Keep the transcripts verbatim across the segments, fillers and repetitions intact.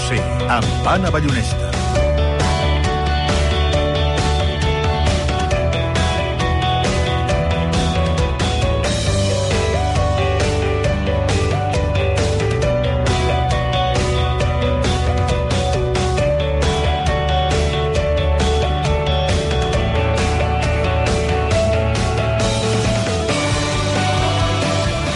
C, amb Anna Ballonesta.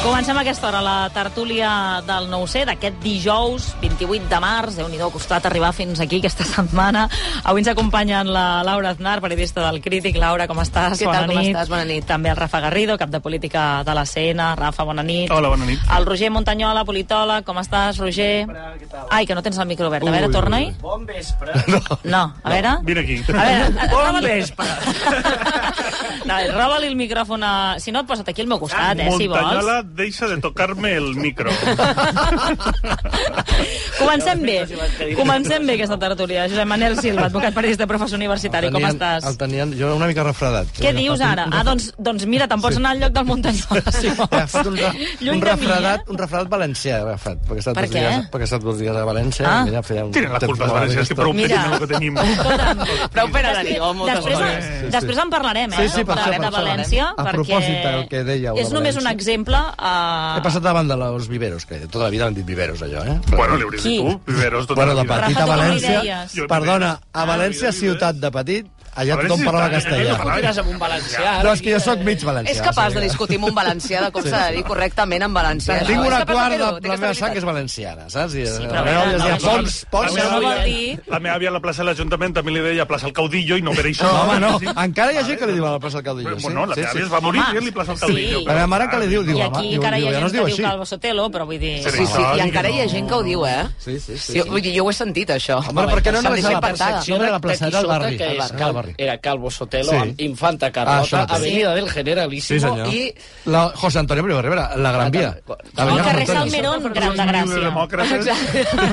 Comencem a aquesta hora la tertúlia del nou C d'aquest dijous vint-i-vuit de març. Déu-n'hi-do, ha costat arribar fins aquí aquesta setmana. Avui ens acompanyen la Laura Aznar, periodista del Crític. Laura, com estàs? Què bona tal, com nit. estàs? Bona nit. També el Rafa Garrido, cap de política de la C N. Rafa, bona nit. Hola, bona nit. El Roger Montanyola, politòleg. Com estàs, Roger? Què tal? Ai, que no tens el micro obert. A veure, torna-hi. Bon vespre. No, No, a veure... vine aquí. A veure, Bon roba-li- vespre. No, roba-li el micròfon a... Si no, et posa't aquí al meu costat, eh, si vols. Montañola, deixa de tocar-me el micro. Comencem bé. Comencem bé aquesta tertúlia. Josep Manel Silva, advocat periodista, professor universitari. Com estàs? El tenien, jo una mica refredat. Què dius ara? Ah, doncs, doncs mira, te'n pots anar al lloc del Montanyola, si vols. He agafat un, re, Lluny un, de mi, refredat, eh? un refredat valencià, he agafat, perquè he estat Per dos què? dies, perquè he estat dos dies a València. Ah. I mira, feia un Tenen la temps culpa els molt valencians, que aquest prou Mira. pena el que tenim. Escolta'm, Prou pena teniu, moltes després, coses. després, després en parlarem, eh? Sí, sí, per de, això, de per això. València, A perquè propòsit del que dèieu de és només un València. exemple... Uh... He passat davant de los viveros, que tota la vida han dit viveros, allò, eh? Bueno, li hauries Qui? dit tu, Viveros, tota Bueno, la de vida. petit Rafa, a tu com li València... deies? Jo Perdona, a Ah, València, vida, vida. ciutat de petit, allà A tothom veure si parlava està- castellà. Parlava. Tires amb un valencià. No, és que jo sóc mig valencià. És capaç sí. de discutir amb un valencià, de com s'ha de dir correctament en valencià. Tinc No, una és capaç quart de de fer-ho, té la aquesta meva sang habilitat. és valenciana, saps? I, Sí, la però meva a àvia es veure, deia, no, Pons, Pons... Això no no, vol dir... La meva àvia a la plaça de l'Ajuntament també li deia plaça al Caudillo i no per això. home, no, Sí. encara hi ha gent que li diu a la plaça del Caudillo. sí, Bueno, la sí, meva sí. àvia es va morir Home, dient-li plaça al sí. Caudillo. La meva mare que li diu, diu, I home, aquí diu, encara hi diu, ha ja no gent es diu que diu així. Calvo Sotelo, però vull dir... Sí, Sí, sí, no, i encara no. hi ha gent que ho diu, eh? Sí, sí, sí. Sí, vull dir, jo ho he sentit, això. Home, per què no S'han només a deixat la impactada. percepció de la placeta del barri? Que Al és barri, Cal, al barri. era Calvo Sotelo, Sí. amb Infanta Ah, això Carlota, mateix. Avenida del Generalíssimo Sí, senyor. i... La José Antonio Primo de Rivera, la Gran Via. El Avenida carrer Fronteras. Salmerón, Gran de Gràcia. Demòcrates.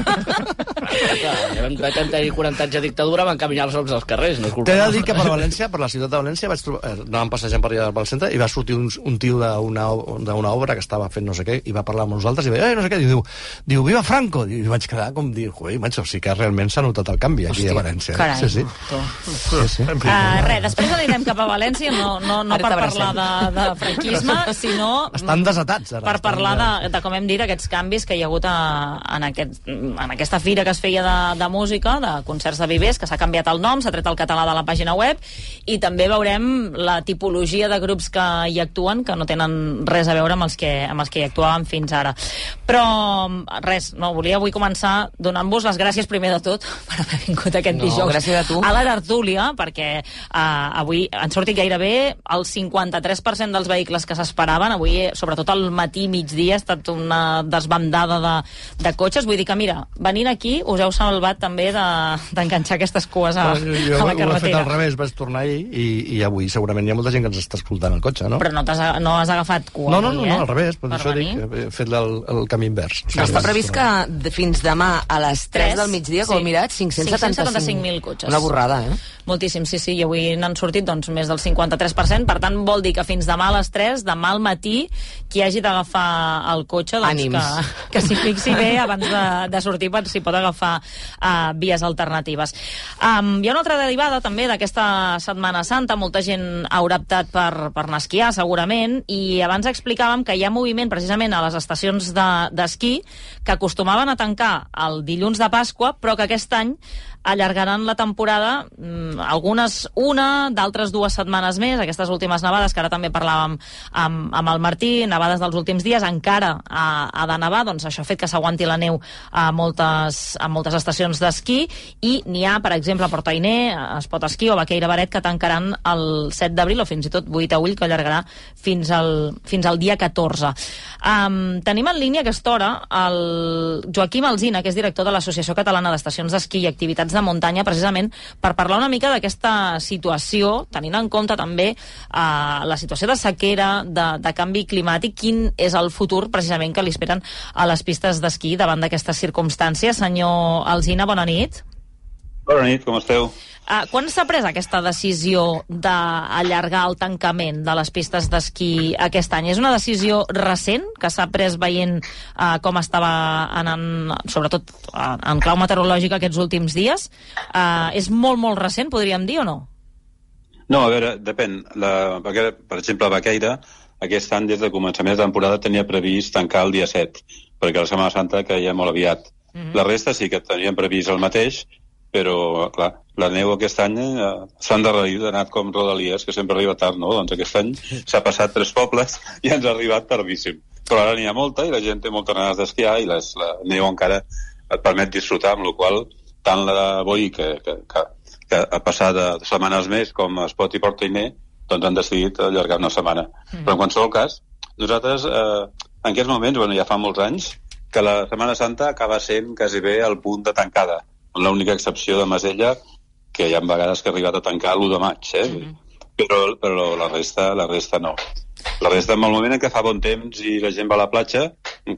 Clar, vam vam tenir quaranta anys de dictadura, van caminar-nos als carrers, no és culpa T'he de nostra. dir que per València, per la ciutat de València, vaig trobar, eh, anàvem passejant per allà pel centre i va sortir un, un tio d'una d'una obra que estava fent no sé què i va parlar amb nosaltres i va dir, eh, no sé què, i diu, diu, viva Franco! I vaig quedar com dir, ui, macho, sí que realment s'ha notat el canvi aquí a València. Carai. Sí, sí. Sí, sí. En fi. Uh, res, després anirem cap a València, no, no, no Ara per t'abracem. parlar de, de franquisme, sinó Estan desatats, ara. per Estan parlar de, de, com hem dit, aquests canvis que hi ha hagut a, en, aquest, en aquesta fira que es feia de, de música, de concerts de vivers, que s'ha canviat el nom, s'ha tret el català de la pàgina web, i també veurem la tipologia de grups que hi actuen, que no tenen res a veure amb els que, amb els que hi actuaven fins ara. Però, res, no, volia avui començar donant-vos les gràcies primer de tot per haver vingut aquest No, dijous gràcies a tu. a la tertúlia, perquè uh, avui han sortit gairebé el cinquanta-tres per cent dels vehicles que s'esperaven. Avui, sobretot al matí, migdia, ha estat una desbandada de, de cotxes. Vull dir que, mira, venint aquí us heu salvat també d'enganxar de, aquestes cues a, Jo, jo a la ho he fet carretera. al revés, vaig tornar ahir i, i avui segurament hi ha molta gent que ens està escoltant el cotxe, no? Però no, has, no has agafat cua No, no, avui, no, eh? no, al revés, per, Per això venir. dic, he fet el, el camí invers. Sí, Està sí. previst que de, fins demà a les tres del migdia, com Sí. he mirat, cinc-cents setanta-cinc mil cotxes. Una borrada, eh? Moltíssim, sí, sí, i avui n'han sortit doncs, més del cinquanta-tres per cent, per tant vol dir que fins demà a les tres, demà al matí, qui hagi d'agafar el cotxe, doncs Ànims. que, que s'hi fixi bé abans de, de sortir per si pot agafar uh, vies alternatives. Um, hi ha una altra derivada també d'aquesta Setmana Santa, molta gent haurà optat per, per anar a esquiar segurament, i abans explicàvem que hi ha moviment precisament a les estacions d'esquí de, que acostumaven a tancar el dilluns de Pasqua, però que aquest any allargaran la temporada, mm, algunes una, d'altres dues setmanes més. Aquestes últimes nevades, que ara també parlàvem amb, amb el Martí, nevades dels últims dies, encara ha, ha de nevar, doncs això ha fet que s'aguanti la neu a moltes, a moltes estacions d'esquí, i n'hi ha, per exemple, a Portainer, a Espot Esquí o Baqueira Baret, que tancaran el set d'abril, o fins i tot vuit a Ull, que allargarà fins al, fins al dia catorze. Um, tenim en línia a aquesta hora el Joaquim Alsina, que és director de l'Associació Catalana d'Estacions d'Esquí i Activitats de Muntanya, precisament per parlar una mica d'aquesta situació, tenint en compte també uh, la situació de sequera, de, de canvi climàtic, quin és el futur precisament que li esperen a les pistes d'esquí davant d'aquestes circumstàncies. Senyor Alsina, bona nit. Bona nit, com esteu? Uh, quan s'ha pres aquesta decisió d'allargar el tancament de les pistes d'esquí aquest any? És una decisió recent que s'ha pres veient uh, com estava anant, sobretot uh, en clau meteorològica aquests últims dies? Uh, és molt, molt recent, podríem dir, o no? No, a veure, depèn. La, per exemple, Baqueira, aquest any, des de començament de temporada, tenia previst tancar el dia set, perquè la Setmana Santa caia molt aviat. Mm-hmm. La resta sí que tenien previst el mateix, però, clar, la neu aquest any eh, s'ha endarrerit, ha anat com Rodalies, que sempre arriba tard, no? Doncs aquest any s'ha passat tres pobles i ens ha arribat tardíssim. Però ara n'hi ha molta i la gent té moltes ganes d'esquiar i les, la neu encara et permet disfrutar, amb la qual tant la Boí, que, que, que, que ha passat de setmanes més, com Espot i Portainer, doncs han decidit allargar una setmana. Mm. Però en qualsevol cas, nosaltres, eh, en aquests moments, bueno, ja fa molts anys, que la Setmana Santa acaba sent quasi bé el punt de tancada. L'única excepció de Masella, que hi ha vegades que ha arribat a tancar l'u de maig, eh? Mm-hmm. però, però la resta la resta no. La resta, en el moment en què fa bon temps i la gent va a la platja,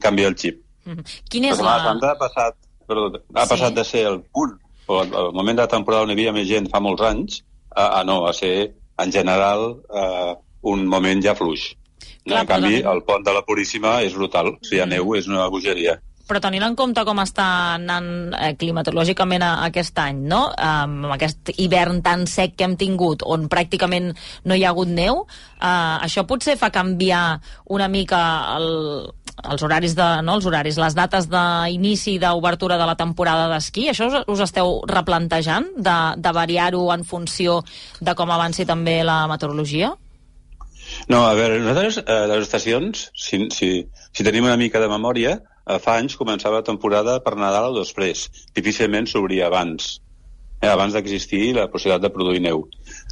canvia el xip. Mm-hmm. Quin és la Setmana Santa ha passat, perdó, ha sí. passat de ser el punt, o el moment de la temporada on hi havia més gent fa molts anys, a, a no, a ser, en general, uh, un moment ja fluix. Clar, en canvi, el pont de la Puríssima és brutal. Si hi ha neu, és una bogeria. Però tenint en compte com està anant eh, climatològicament a, aquest any, no? Um, aquest hivern tan sec que hem tingut, on pràcticament no hi ha hagut neu, uh, això potser fa canviar una mica el, els horaris, de, no, els horaris, les dates d'inici d'obertura de la temporada d'esquí. Això us, us esteu replantejant, de, de variar-ho en funció de com avanci també la meteorologia? No, a veure, nosaltres, eh, les estacions, si, si, si tenim una mica de memòria, eh, fa anys començava la temporada per Nadal o després. Difícilment s'obria abans, eh, abans d'existir la possibilitat de produir neu.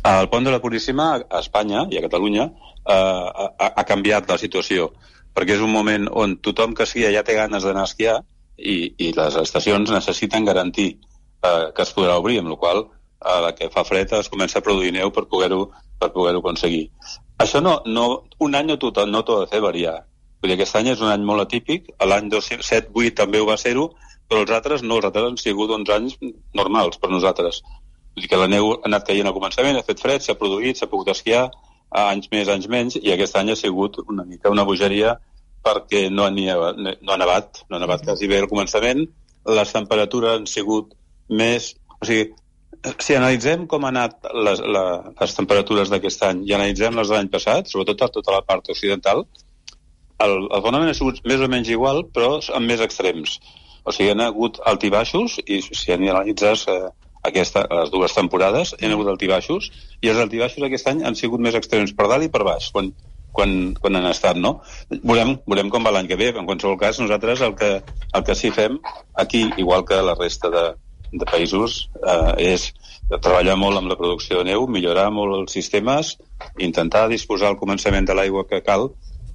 El pont de la Puríssima, a Espanya i a Catalunya, eh, ha, ha canviat la situació, perquè és un moment on tothom que esquia ja té ganes d'anar a esquiar i, i les estacions necessiten garantir eh, que es podrà obrir, amb la qual cosa, a la que fa fred es comença a produir neu per poder-ho per poder-ho aconseguir. Això no, no, un any no t'ho no t'ho ha de fer variar. Vull dir, aquest any és un any molt atípic, l'any set vuit també ho va ser-ho, però els altres no, els altres han sigut uns anys normals per nosaltres. Vull dir que la neu ha anat caient al començament, ha fet fred, s'ha produït, s'ha pogut esquiar, anys més, anys menys, i aquest any ha sigut una mica una bogeria perquè no ha, no ha nevat, no ha nevat quasi bé al començament, les temperatures han sigut més... O sigui, si analitzem com han anat les, la, les temperatures d'aquest any i analitzem les de l'any passat, sobretot a tota la part occidental, el, el fenomen ha sigut més o menys igual, però amb més extrems. O sigui, han hagut altibaixos, i si analitzes eh, aquesta, les dues temporades, han hagut altibaixos, i els altibaixos aquest any han sigut més extrems per dalt i per baix, quan, quan, quan han estat, no? Veurem, veurem com va l'any que ve. En qualsevol cas, nosaltres el que, el que sí fem aquí, igual que la resta de de països, eh, és treballar molt amb la producció de neu, millorar molt els sistemes, intentar disposar al començament de l'aigua que cal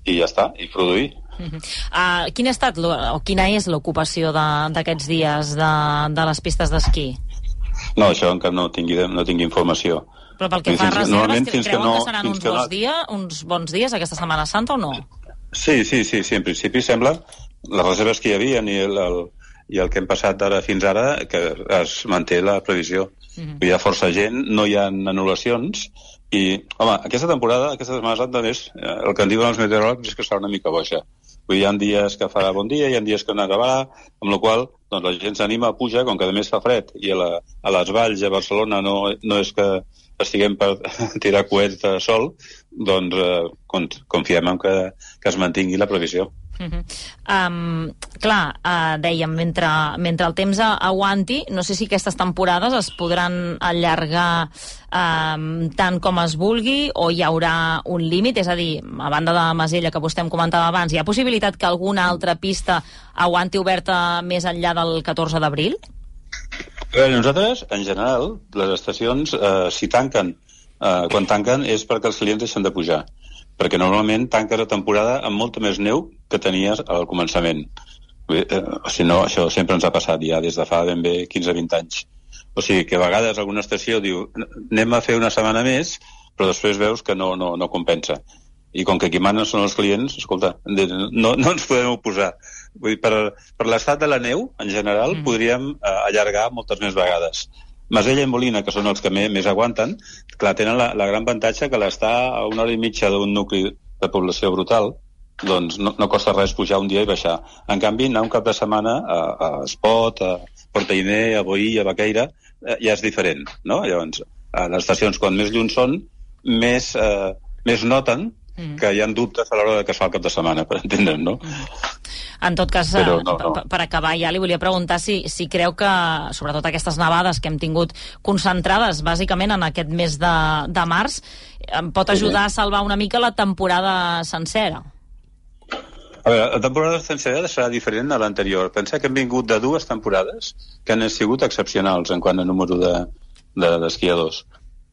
i ja està, i produir. Uh-huh. Uh, quina ha estat, o quina és l'ocupació d'aquests dies de, de les pistes d'esquí? No, això encara no tingui, no tingui informació. Però pel que fa a reserves, creuen que, no, que seran uns, que bons no... dia, uns bons dies aquesta Setmana Santa o no? Sí, sí, sí, sí, en principi sembla les reserves que hi havia i el, el i el que hem passat d'ara fins ara, que es manté la previsió. Mm-hmm. Hi ha força gent, no hi ha anul·lacions, i, home, aquesta temporada, aquesta Setmana Santa, més, el que en diuen els meteoròlegs és que serà una mica boixa. Vull dir, hi ha dies que farà bon dia, hi ha dies que no nevarà, amb la qual doncs, la gent s'anima a pujar, com que a més fa fred, i a, la, a les valls, a Barcelona, no, no és que estiguem per tirar coets de sol, doncs eh, confiem en que, que es mantingui la previsió. Uh-huh. Um, clar, uh, dèiem, mentre, mentre el temps aguanti, no sé si aquestes temporades es podran allargar um, tant com es vulgui o hi haurà un límit, és a dir, a banda de Masella que vostè em comentava abans, hi ha possibilitat que alguna altra pista aguanti oberta més enllà del catorze d'abril? Bé, nosaltres, en general, les estacions, eh, si tanquen, eh, quan tanquen és perquè els clients deixen de pujar, perquè normalment tanques la temporada amb molta més neu que tenies al començament. Eh, si no, això sempre ens ha passat ja des de fa ben bé quinze a vint anys. O sigui que a vegades alguna estació diu anem a fer una setmana més, però després veus que no, no, no compensa. I com que qui manen són els clients, escolta, no, no ens podem oposar. Vull dir, per, per l'estat de la neu, en general, mm. podríem eh, allargar moltes més vegades. Masella i Molina, que són els que més, més aguanten, clar, tenen la, la gran avantatge que l'està a una hora i mitja d'un nucli de població brutal, doncs no, no costa res pujar un dia i baixar. En canvi, anar un cap de setmana a, a Espot, a Portainer, a Boí, a Baqueira, eh, ja és diferent, no? Llavors, a les estacions, quan més lluny són, més, eh, més noten mm. que hi ha dubtes a l'hora que es fa el cap de setmana, per entendre'm, no? En tot cas, Però no, no. per acabar ja li volia preguntar si, si creu que, sobretot aquestes nevades que hem tingut concentrades bàsicament en aquest mes de, de març, pot ajudar a salvar una mica la temporada sencera. A veure, la temporada sencera serà diferent a l'anterior. Pensa que hem vingut de dues temporades que han sigut excepcionals en quant a número de, de, d'esquiadors.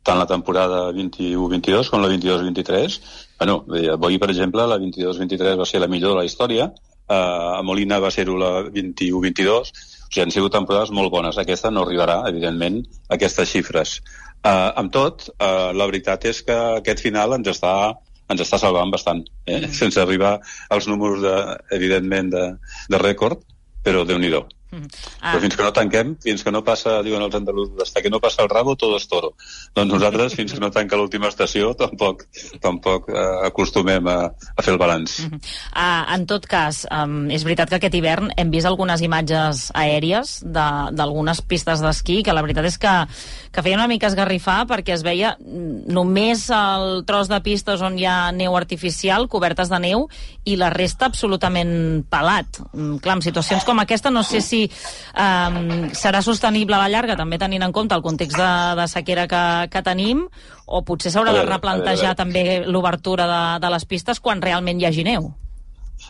Tant la temporada vint-i-u vint-i-dos com la vint-i-dos vint-i-tres. Bueno, avui, per exemple, la vint-i-dos vint-i-tres va ser la millor de la història, uh, a Molina va ser-ho la vint-i-u vint-i-dos, o sigui, han sigut temporades molt bones. Aquesta no arribarà, evidentment, a aquestes xifres. Uh, amb tot, uh, la veritat és que aquest final ens està ens està salvant bastant, eh? Mm. Sense arribar als números, de, evidentment, de, de rècord, però Déu-n'hi-do. Mm. Ah. Però fins que no tanquem, fins que no passa, diuen els andalusos, hasta que no passa el rabo, todo es toro. Doncs nosaltres, fins que no tanca l'última estació, tampoc, tampoc eh, acostumem a, a fer el balanç. Mm -hmm. ah, en tot cas, um, és veritat que aquest hivern hem vist algunes imatges aèries d'algunes pistes d'esquí, que la veritat és que, que feia una mica esgarrifar, perquè es veia només el tros de pistes on hi ha neu artificial, cobertes de neu, i la resta absolutament pelat. Mm, clar, en situacions com aquesta no sé si Um, serà sostenible a la llarga, també tenint en compte el context de, de sequera que, que tenim, o potser s'haurà de replantejar també l'obertura de, de les pistes quan realment hi hagi neu.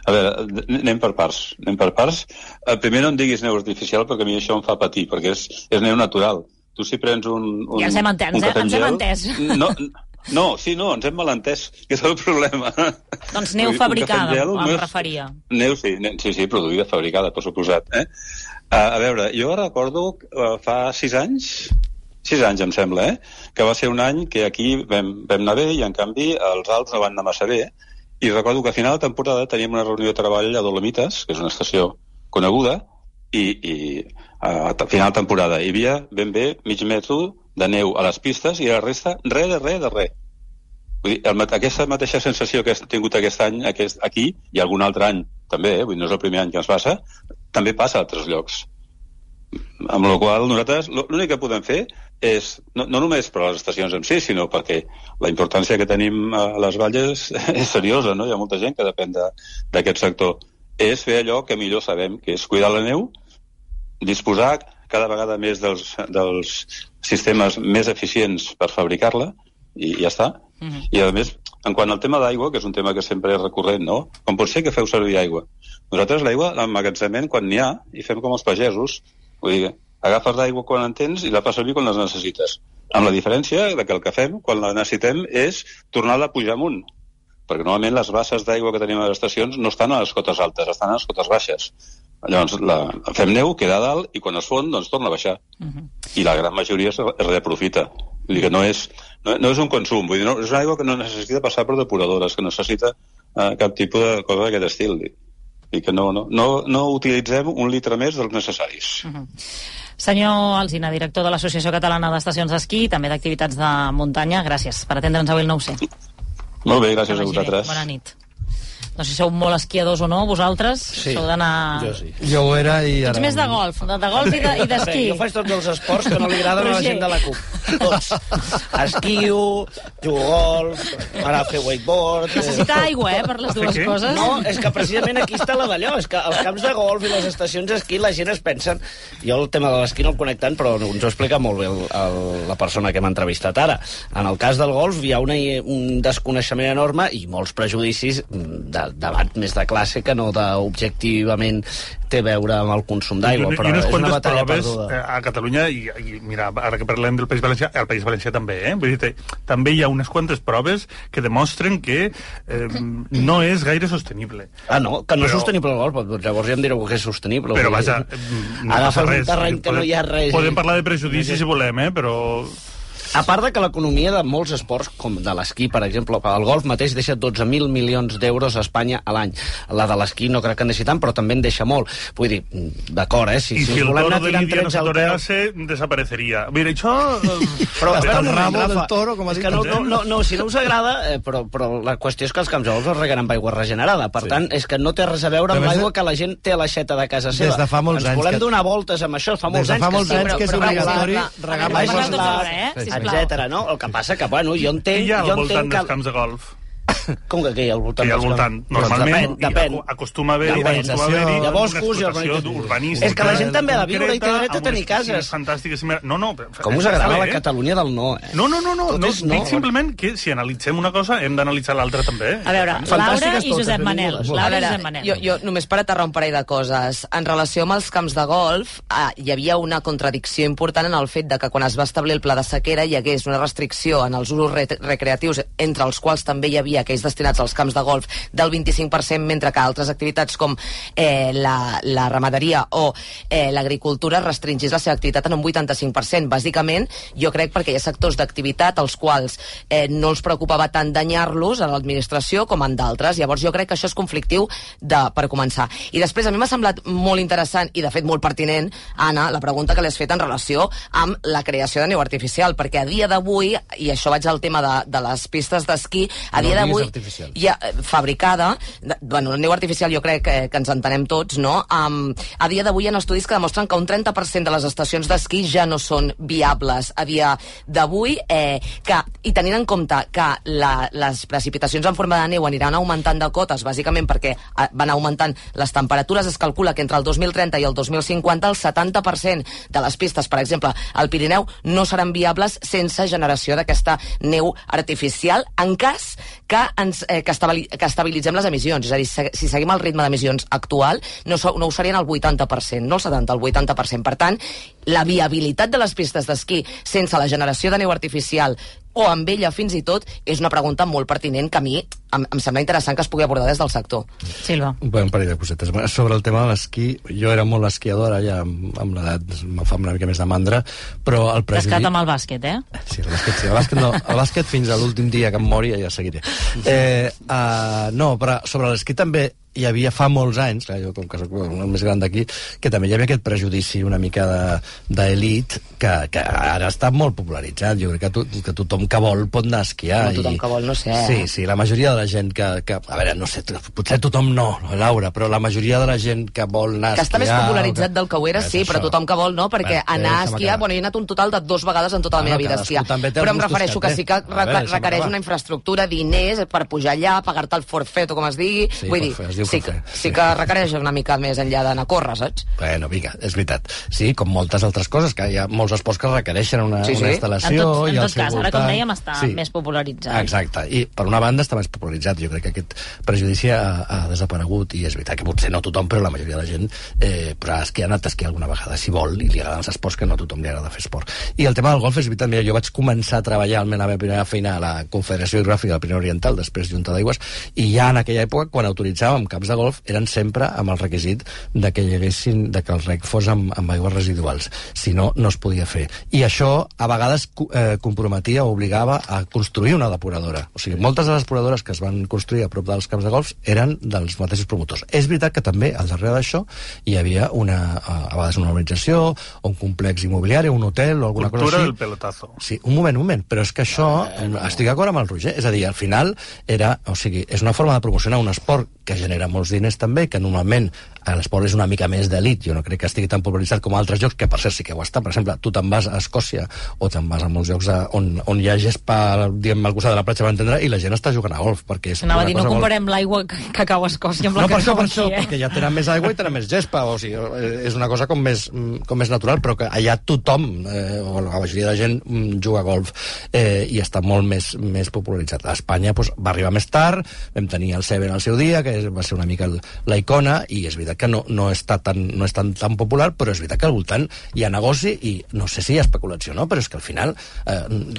A veure, anem per parts. Anem per parts. Primer no em diguis neu artificial, perquè a mi això em fa patir, perquè és, és neu natural. Tu si prens un, un, ja ens hem entès, un cafè amb gel... Ens hem entès. No, no, sí, no, ens hem malentès, que és el problema. Doncs neu fabricada, gel, em referia. Neu, sí, sí, sí, produïda, fabricada, per suposat. Eh? Uh, a veure, jo recordo uh, fa sis anys, sis anys em sembla, eh? que va ser un any que aquí vam, vam anar bé i en canvi els Alps no van anar massa bé, i recordo que a final de temporada teníem una reunió de treball a Dolomites, que és una estació coneguda, i, i uh, a final de temporada hi havia ben bé mig metre de neu a les pistes i la resta res de res de res. Vull dir, el, aquesta mateixa sensació que hem tingut aquest any aquest, aquí, i algun altre any també, eh? Vull dir, no és el primer any que ens passa, també passa a altres llocs. Amb la qual nosaltres l'únic que podem fer és, no, no només per a les estacions en si, sinó perquè la importància que tenim a les valles és seriosa, no? Hi ha molta gent que depèn d'aquest sector. És fer allò que millor sabem, que és cuidar la neu, disposar cada vegada més dels, dels sistemes més eficients per fabricar-la, i ja està. Mm-hmm. I, a més, en quant al tema d'aigua, que és un tema que sempre és recurrent, no? Com pot ser que feu servir aigua? Nosaltres l'aigua l'emmagatzemem quan n'hi ha i fem com els pagesos. Vull dir, agafes l'aigua quan en tens i la fas servir quan les necessites. Amb la diferència de que el que fem quan la necessitem és tornar-la a pujar amunt. Perquè normalment les basses d'aigua que tenim a les estacions no estan a les cotes altes, estan a les cotes baixes. Llavors la fem neu, queda a dalt i quan es fon doncs torna a baixar. Uh-huh. I la gran majoria es reaprofita. Vull dir que no és, no, no és un consum, vull dir, no, és una aigua que no necessita passar per depuradores, que no necessita uh, cap tipus de cosa d'aquest estil. I que no, no, no, no utilitzem un litre més dels necessaris. Uh-huh. Senyor Alsina, director de l'Associació Catalana d'Estacions d'Esquí, també d'activitats de muntanya, gràcies per atendre'ns avui el nou C. Molt bé, gràcies a vosaltres. Bona nit. No sé si sou molt esquiadors o no, vosaltres. Sí, sou d'anar... jo sí. Jo ho era i... Ets més de golf, de, de golf i d'esquí. Jo faig tots els esports que no li agraden a la gent de la CUP. Tots. Esquio, jugo golf, ara fer wakeboard... Necessita aigua, eh, per les dues coses. No, és que precisament aquí està la d'allò. És que als camps de golf i les estacions d'esquí la gent es pensen... Jo el tema de l'esquí no el conec tant, però ens ho explica molt bé el, el, la persona que m'ha entrevistat ara. En el cas del golf hi ha una, un desconeixement enorme i molts prejudicis de debat més de classe que no d'objectivament té a veure amb el consum d'aigua, però és una batalla perduda. A Catalunya, i, i mira, ara que parlem del País Valencià, al País Valencià també, eh? Vull dir, també hi ha unes quantes proves que demostren que eh, no és gaire sostenible. Ah, no? Que no però, és sostenible el golf, doncs llavors ja em direu que és sostenible. Però vaja, no agafes res. un terreny que podem, no hi ha res. Podem parlar de prejudicis si volem, eh? Però... A part de que l'economia de molts esports, com de l'esquí, per exemple, el golf mateix deixa dotze mil milions d'euros a Espanya a l'any. La de l'esquí no crec que en deixi tant, però també en deixa molt. Vull dir, d'acord, eh? Si, I si, si el volem toro anar de tirant Lídia no trets al peu... s'atorease, desapareceria. Mira, això... Però, espera un moment, rabo Rafa. del toro, com ha És dit que no, el no, no, no, si no us agrada, eh, però, però la qüestió és que els camps de golf es reguen amb aigua regenerada. Per Sí. tant, és que no té res a veure amb Però l'aigua de- que la gent té a l'aixeta de casa seva. Des de fa molts Ens anys volem que- donar voltes amb això, fa molts Des de anys fa molts que sí, anys però, que és però, obligatori però, regar amb Anem aigua parlant tota l'hora, eh? Sisplau. etcètera, no? El que passa que, bueno, jo entenc... Què hi ha al jo voltant entenc dels que... camps de golf? Com que què hi ha al voltant? Que hi ha al dels voltant. camps? Normalment Doncs depèn, hi acostuma a haver-hi Urbanització. acostuma a haver-hi Hi ha boscos una i explotació urbanització. urbanística. És que la gent també ha de viure i té concreta, dret a amb tenir unes piscines cases. fantàstiques. No, no, Com us està agrada bé, la eh? Catalunya del no, eh? No, no, no, no, Tot no és no. dic simplement que si analitzem una cosa hem d'analitzar l'altra també. A veure, Laura Fantàstiques i totes, Josep Manel. benvingudes. A Laura i veure, Josep Manel. jo, jo només per aterrar un parell de coses. En relació amb els camps de golf, eh, hi havia una contradicció important en el fet de que quan es va establir el pla de sequera hi hagués una restricció en els usos re recreatius, entre els quals també hi havia aquells destinats als camps de golf, del vint-i-cinc per cent, mentre que altres activitats com eh, la, la ramaderia o eh, l'agricultura restringís la seva activitat en un vuitanta-cinc per cent. Bàsicament, jo crec perquè hi ha sectors d'activitat als quals eh, no els preocupava tant danyar-los a l'administració com en d'altres. Llavors jo crec que això és conflictiu de, per començar. I després a mi m'ha semblat molt interessant i de fet molt pertinent, Anna, la pregunta que li has fet en relació amb la creació de neu artificial, perquè a dia d'avui, i això vaig al tema de, de les pistes d'esquí, a No dia diguis d'avui artificial. hi ha eh, fabricada, de, bueno, la neu artificial jo crec que, que ens entenem tots, no? Um, a dia d'avui hi ha estudis que demostren que un trenta per cent de les estacions d'esquí ja no són viables a dia d'avui, eh, que, i tenint en compte que la, les precipitacions en forma de neu aniran augmentant de cotes, bàsicament perquè eh, van augmentant les temperatures, es calcula que entre el dos mil trenta i el dos mil cinquanta el setanta per cent de les pistes, per exemple, al Pirineu, no seran viables sense generació d'aquesta neu artificial, en cas que, ens, eh, que, estabili que estabilitzem les emissions. És a dir, si, si seguim el ritme d'emissions actual, no, so, no ho serien el vuitanta per cent, no el setanta, el vuitanta per cent. Per tant, la viabilitat de les pistes d'esquí sense la generació de neu artificial o amb ella fins i tot, és una pregunta molt pertinent que a mi em, em sembla interessant que es pugui abordar des del sector. Silva. Un parell de cosetes. Sobre el tema de l'esquí, jo era molt esquiadora, ja amb, amb l'edat me fa una mica més de mandra, però el prejudici... Descat amb el bàsquet, eh? Sí, el bàsquet sí. El bàsquet, no, el bàsquet fins a l'últim dia que em mori ja seguiré. Eh, uh, no, però sobre l'esquí també hi havia fa molts anys, clar, jo com que soc el més gran d'aquí, que també hi havia aquest prejudici una mica d'elit de, que, que ara està molt popularitzat. Jo crec que, to, que tothom que vol pot anar a esquiar. No tothom i, que vol, no sé. Sí, sí, la majoria de la gent que, que... A veure, no sé, potser tothom no, Laura, però la majoria de la gent que vol anar a Que esquiar... està més popularitzat que... del que ho era, És sí, però això. tothom que vol no, perquè Bé, anar a deixa'm esquiar... acabar. Bueno, jo he anat un total de dues vegades en tota la Bueno, meva vida a cadascú esquiar. també té els Però em gustos refereixo que que té. sí que A veure, reca- deixa'm requereix acabar. una infraestructura, diners per pujar allà, pagar-te el forfet o com es digui. Sí, Vull dir, forfet, es diu sí, que, forfet, sí sí. que requereix una mica més enllà d'anar a córrer, saps? Bueno, vinga, és veritat. Sí, com moltes altres coses, que hi ha molts esports que requereixen una, Sí, sí. una En instal·lació... tot, i en al tot seu cas, ara, voltant. com dèiem, està Sí. més popularitzat. Exacte, i per una banda està més popularitzat. Jo crec que aquest prejudici ha, ha desaparegut, i és veritat que potser no tothom, però la majoria de la gent eh, però ha esquiat, ha anat a esquiar alguna vegada, si vol, i li agraden els esports, que no a tothom li agrada fer esport. I el tema del golf és veritat, mira, jo vaig començar a treballar almenys la meva primera feina a la Confederació Hidrogràfica del Pirineu Oriental, després Junta d'Aigües, i ja en aquella època, quan autoritzàvem camps de golf, eren sempre amb el requisit de que hi haguessin, de que el rec fos amb, amb aigües residuals. Si no, no es podia fer. I això, a vegades, eh, comprometia o obligava a construir una depuradora. O sigui, moltes de les depuradores que es van construir a prop dels camps de golf eren dels mateixos promotors. És veritat que també, al darrere d'això, hi havia una, a vegades una urbanització, o un complex immobiliari, un hotel, o alguna Cultura cosa així. del pelotazo. Sí, un moment, un moment, però és que això, estic d'acord amb el Roger, és a dir, al final era, o sigui, és una forma de promocionar un esport que genera molts diners també, que normalment l'esport és una mica més d'elit, jo no crec que estigui tan popularitzat com altres llocs, que per cert sí que ho està. Per exemple, tu te'n vas a Escòcia o te'n vas a molts llocs a, on, on hi ha gespa, diguem, al costat de la platja, per entendre, i la gent està jugant a golf, perquè és Anava a una dir, no cosa molt- comparem l'aigua que, que cau a Escòcia amb la no, que per això, cau per això, aquí, eh? perquè ja tenen més aigua i tenen més gespa, o sigui, eh, és una cosa com més, mm, com més natural, però que allà tothom, eh, o la majoria de gent, mm, juga a golf, eh, i està molt més, més popularitzat. A Espanya pues, va arribar més tard, vam tenir el Seven al seu dia, que va ser una mica el, la icona, i és veritat veritat que no, no, està tan, no és tan, tan popular, però és veritat que al voltant hi ha negoci i no sé si hi ha especulació, no? Però és que al final eh,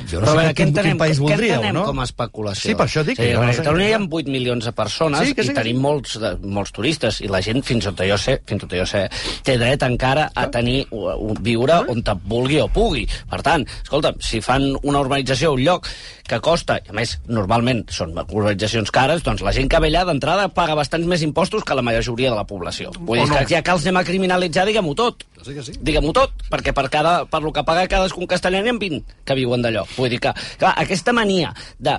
jo no però sé veure, quin, entenem, quin país voldríeu, què entenem no? com a especulació? Sí, per això dic. Sí, que a no sé Catalunya hi ha què. vuit milions de persones Sí, que sí, i que tenim sí. molts, de, molts turistes i la gent, fins on jo sé, fins on jo sé, té dret encara a tenir un, viure on te vulgui o pugui. Per tant, escolta, si fan una urbanització a un lloc que costa, i a més, normalment són urbanitzacions cares, doncs la gent que ve allà d'entrada paga bastants més impostos que la majoria de la població. Vull dir no. que ja que els anem a criminalitzar, diguem-ho tot. Sí que sí. Diguem-ho tot, perquè per, cada, per lo que paga cadascun castellà n'hi ha vint que viuen d'allò. Vull dir que, clar, aquesta mania de...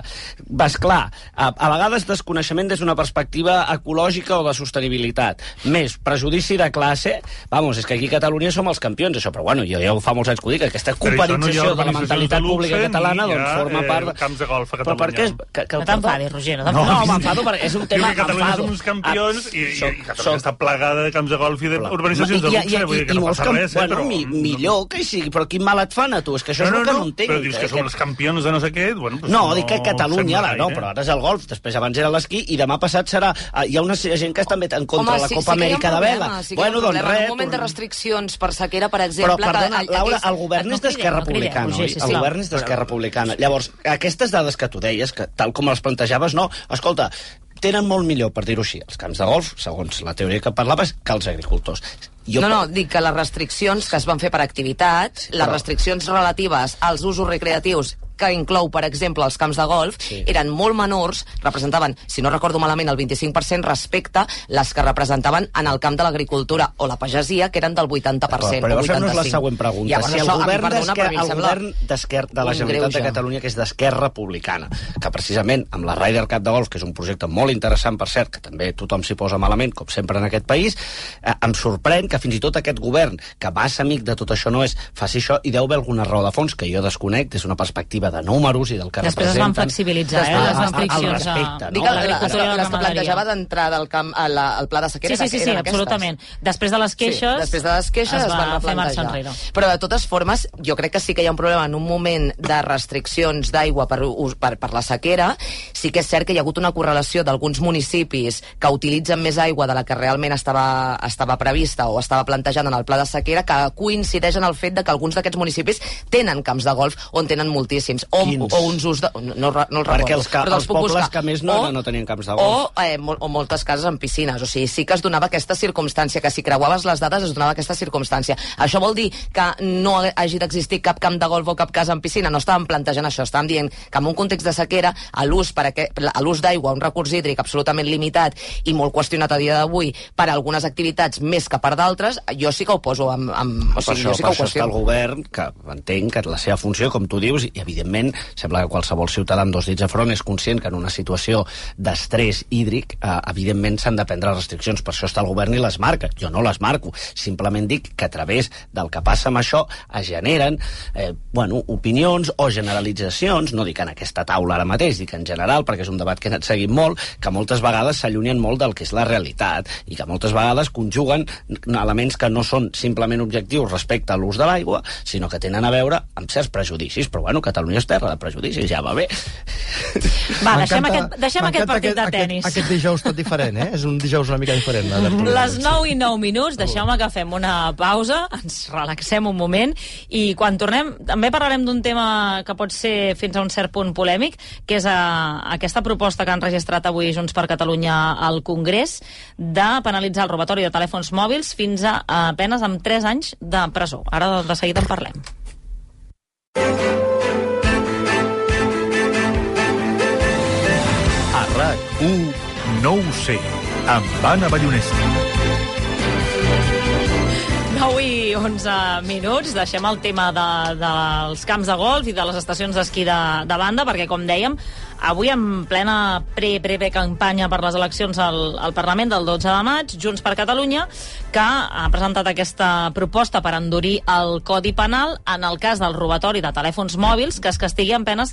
Vas, clar, a, a vegades desconeixement des d'una perspectiva ecològica o de sostenibilitat. Més, prejudici de classe, vamos, és que aquí a Catalunya som els campions, això, però bueno, jo ja fa molts anys que ho dic, aquesta cuparització de la mentalitat pública catalana doncs forma part... Eh, camps de golf a Però per què? Catalunya. Que, que, No t'enfadis, Roger, no No, t'enfadis. no m'enfado perquè és un tema... Diu que Catalunya m'enfado. som uns campions i, i, Soc- i Catalunya soc- està plagada de camps de golf i d'urbanitzacions de I- i- luxe, i- vull dir que i no molts passa camp- res, eh, bueno, però... mi, millor que sigui, però quin mal et fan a tu? És que això és el que no entenc. però dius que som els campions de no sé què, bueno, doncs No, dic que Catalunya, sembla ara, no, gaire. però ara és el golf, després abans era l'esquí, i demà passat serà... ah, Hi ha una gent que està també en contra Home, de la sí, Copa sí que hi ha un Amèrica de problema, Vela. sí que hi ha Bueno, un doncs problema. res... En un moment de tornem- restriccions per sequera, per Però, exemple... perdona, que, Laura, aquells- el govern no és d'Esquerra crideu, no crideu, Republicana, Roger, oi? El sisplau. govern és d'Esquerra Republicana. Llavors, aquestes dades que tu deies, que tal com les plantejaves, no, escolta, tenen molt millor, per dir-ho així, els camps de golf, segons la teoria que parlaves, que els agricultors. Jo No, no, dic que les restriccions que es van fer per activitat, les però- restriccions relatives als usos recreatius que inclou, per exemple, els camps de golf, Sí. eren molt menors, representaven, si no recordo malament, el vint-i-cinc per cent respecte les que representaven en el camp de l'agricultura o la pagesia, que eren del vuitanta per cent. Però llavors o fem-nos la vuitanta-cinc. següent pregunta. Llavors, si el això, a mi, govern perdona, d'Esquerra però a mi em el sembla govern d'Esquerra de la un Generalitat de greuge. Catalunya, que és d'Esquerra Republicana, que precisament amb la Ryder Cup de golf, que és un projecte molt interessant, per cert, que també tothom s'hi posa malament, com sempre en aquest país, eh, em sorprèn que fins i tot aquest govern, que massa amic de tot això no és, faci això, i deu haver alguna raó de fons que jo desconec des d'una perspectiva de números i del que Després es representen. van flexibilitzar, eh, Després, les al restriccions a, respecte, no? Dic a que les, l'agricultura i la les que ramaderia. plantejava d'entrar del camp a la, al pla de sequera Sí, sí, sí, sí, eren aquestes. absolutament. Després de les queixes, Sí, després de les queixes es es, va van fer marxa replantejar. enrere. Però de totes formes, jo crec que sí que hi ha un problema en un moment de restriccions d'aigua per, us- per, per la sequera. Sí que és cert que hi ha hagut una correlació d'alguns municipis que utilitzen més aigua de la que realment estava, estava prevista o estava plantejant en el pla de sequera, que coincideix en el fet de que alguns d'aquests municipis tenen camps de golf on tenen moltíssims. O, Quins? o uns us de... No, no, no els Perquè recordo, els, que, però te'ls els puc pobles buscar. que més no, O- no tenien camps de golf. o, eh, mol, o moltes cases amb piscines. O sigui, sí que es donava aquesta circumstància, que si creuaves les dades es donava aquesta circumstància. Això vol dir que no hagi d'existir cap camp de golf o cap casa amb piscina. No estàvem plantejant això, estàvem dient que en un context de sequera, a l'ús per aquest, a l'ús d'aigua, un recurs hídric absolutament limitat i molt qüestionat a dia d'avui per a algunes activitats més que per d'altres, jo sí que ho poso amb... amb o Per sigui, això, jo sí per que ho això està el qüestiono. govern, que entenc que la seva funció, com tu dius, i evidentment sembla que qualsevol ciutadà amb dos dits a front és conscient que en una situació d'estrès hídric, eh, evidentment s'han de prendre restriccions, per això està el govern i les marca. Jo no les marco, simplement dic que a través del que passa amb això es generen eh, bueno, opinions o generalitzacions, no dic en aquesta taula ara mateix, dic en general, perquè és un debat que he anat seguint molt, que moltes vegades s'allunyen molt del que és la realitat i que moltes vegades conjuguen elements que no són simplement objectius respecte a l'ús de l'aigua, sinó que tenen a veure amb certs prejudicis. Però bueno, Catalunya és terra de prejudicis, ja va bé. Va, deixem M'encanta- aquest, deixem aquest m'encanta partit de aquest- tenis. Aquest, aquest dijous tot diferent, eh? És un dijous una mica diferent. La Les nou i nou minuts, deixeu-me que fem una pausa, ens relaxem un moment i quan tornem també parlarem d'un tema que pot ser fins a un cert punt polèmic, que és a, aquesta proposta que han registrat avui Junts per Catalunya al Congrés de penalitzar el robatori de telèfons mòbils fins a, a penes amb tres anys de presó. Ara de seguida en parlem. A RAC u no ho sé, amb Anna Ballonesta. nou i onze minuts, deixem el tema de, dels camps de golf i de les estacions d'esquí de, de banda, perquè, com dèiem, avui en plena pre-pre-campanya per les eleccions al, al Parlament del dotze de maig, Junts per Catalunya, que ha presentat aquesta proposta per endurir el Codi Penal en el cas del robatori de telèfons mòbils, que es castigui amb penes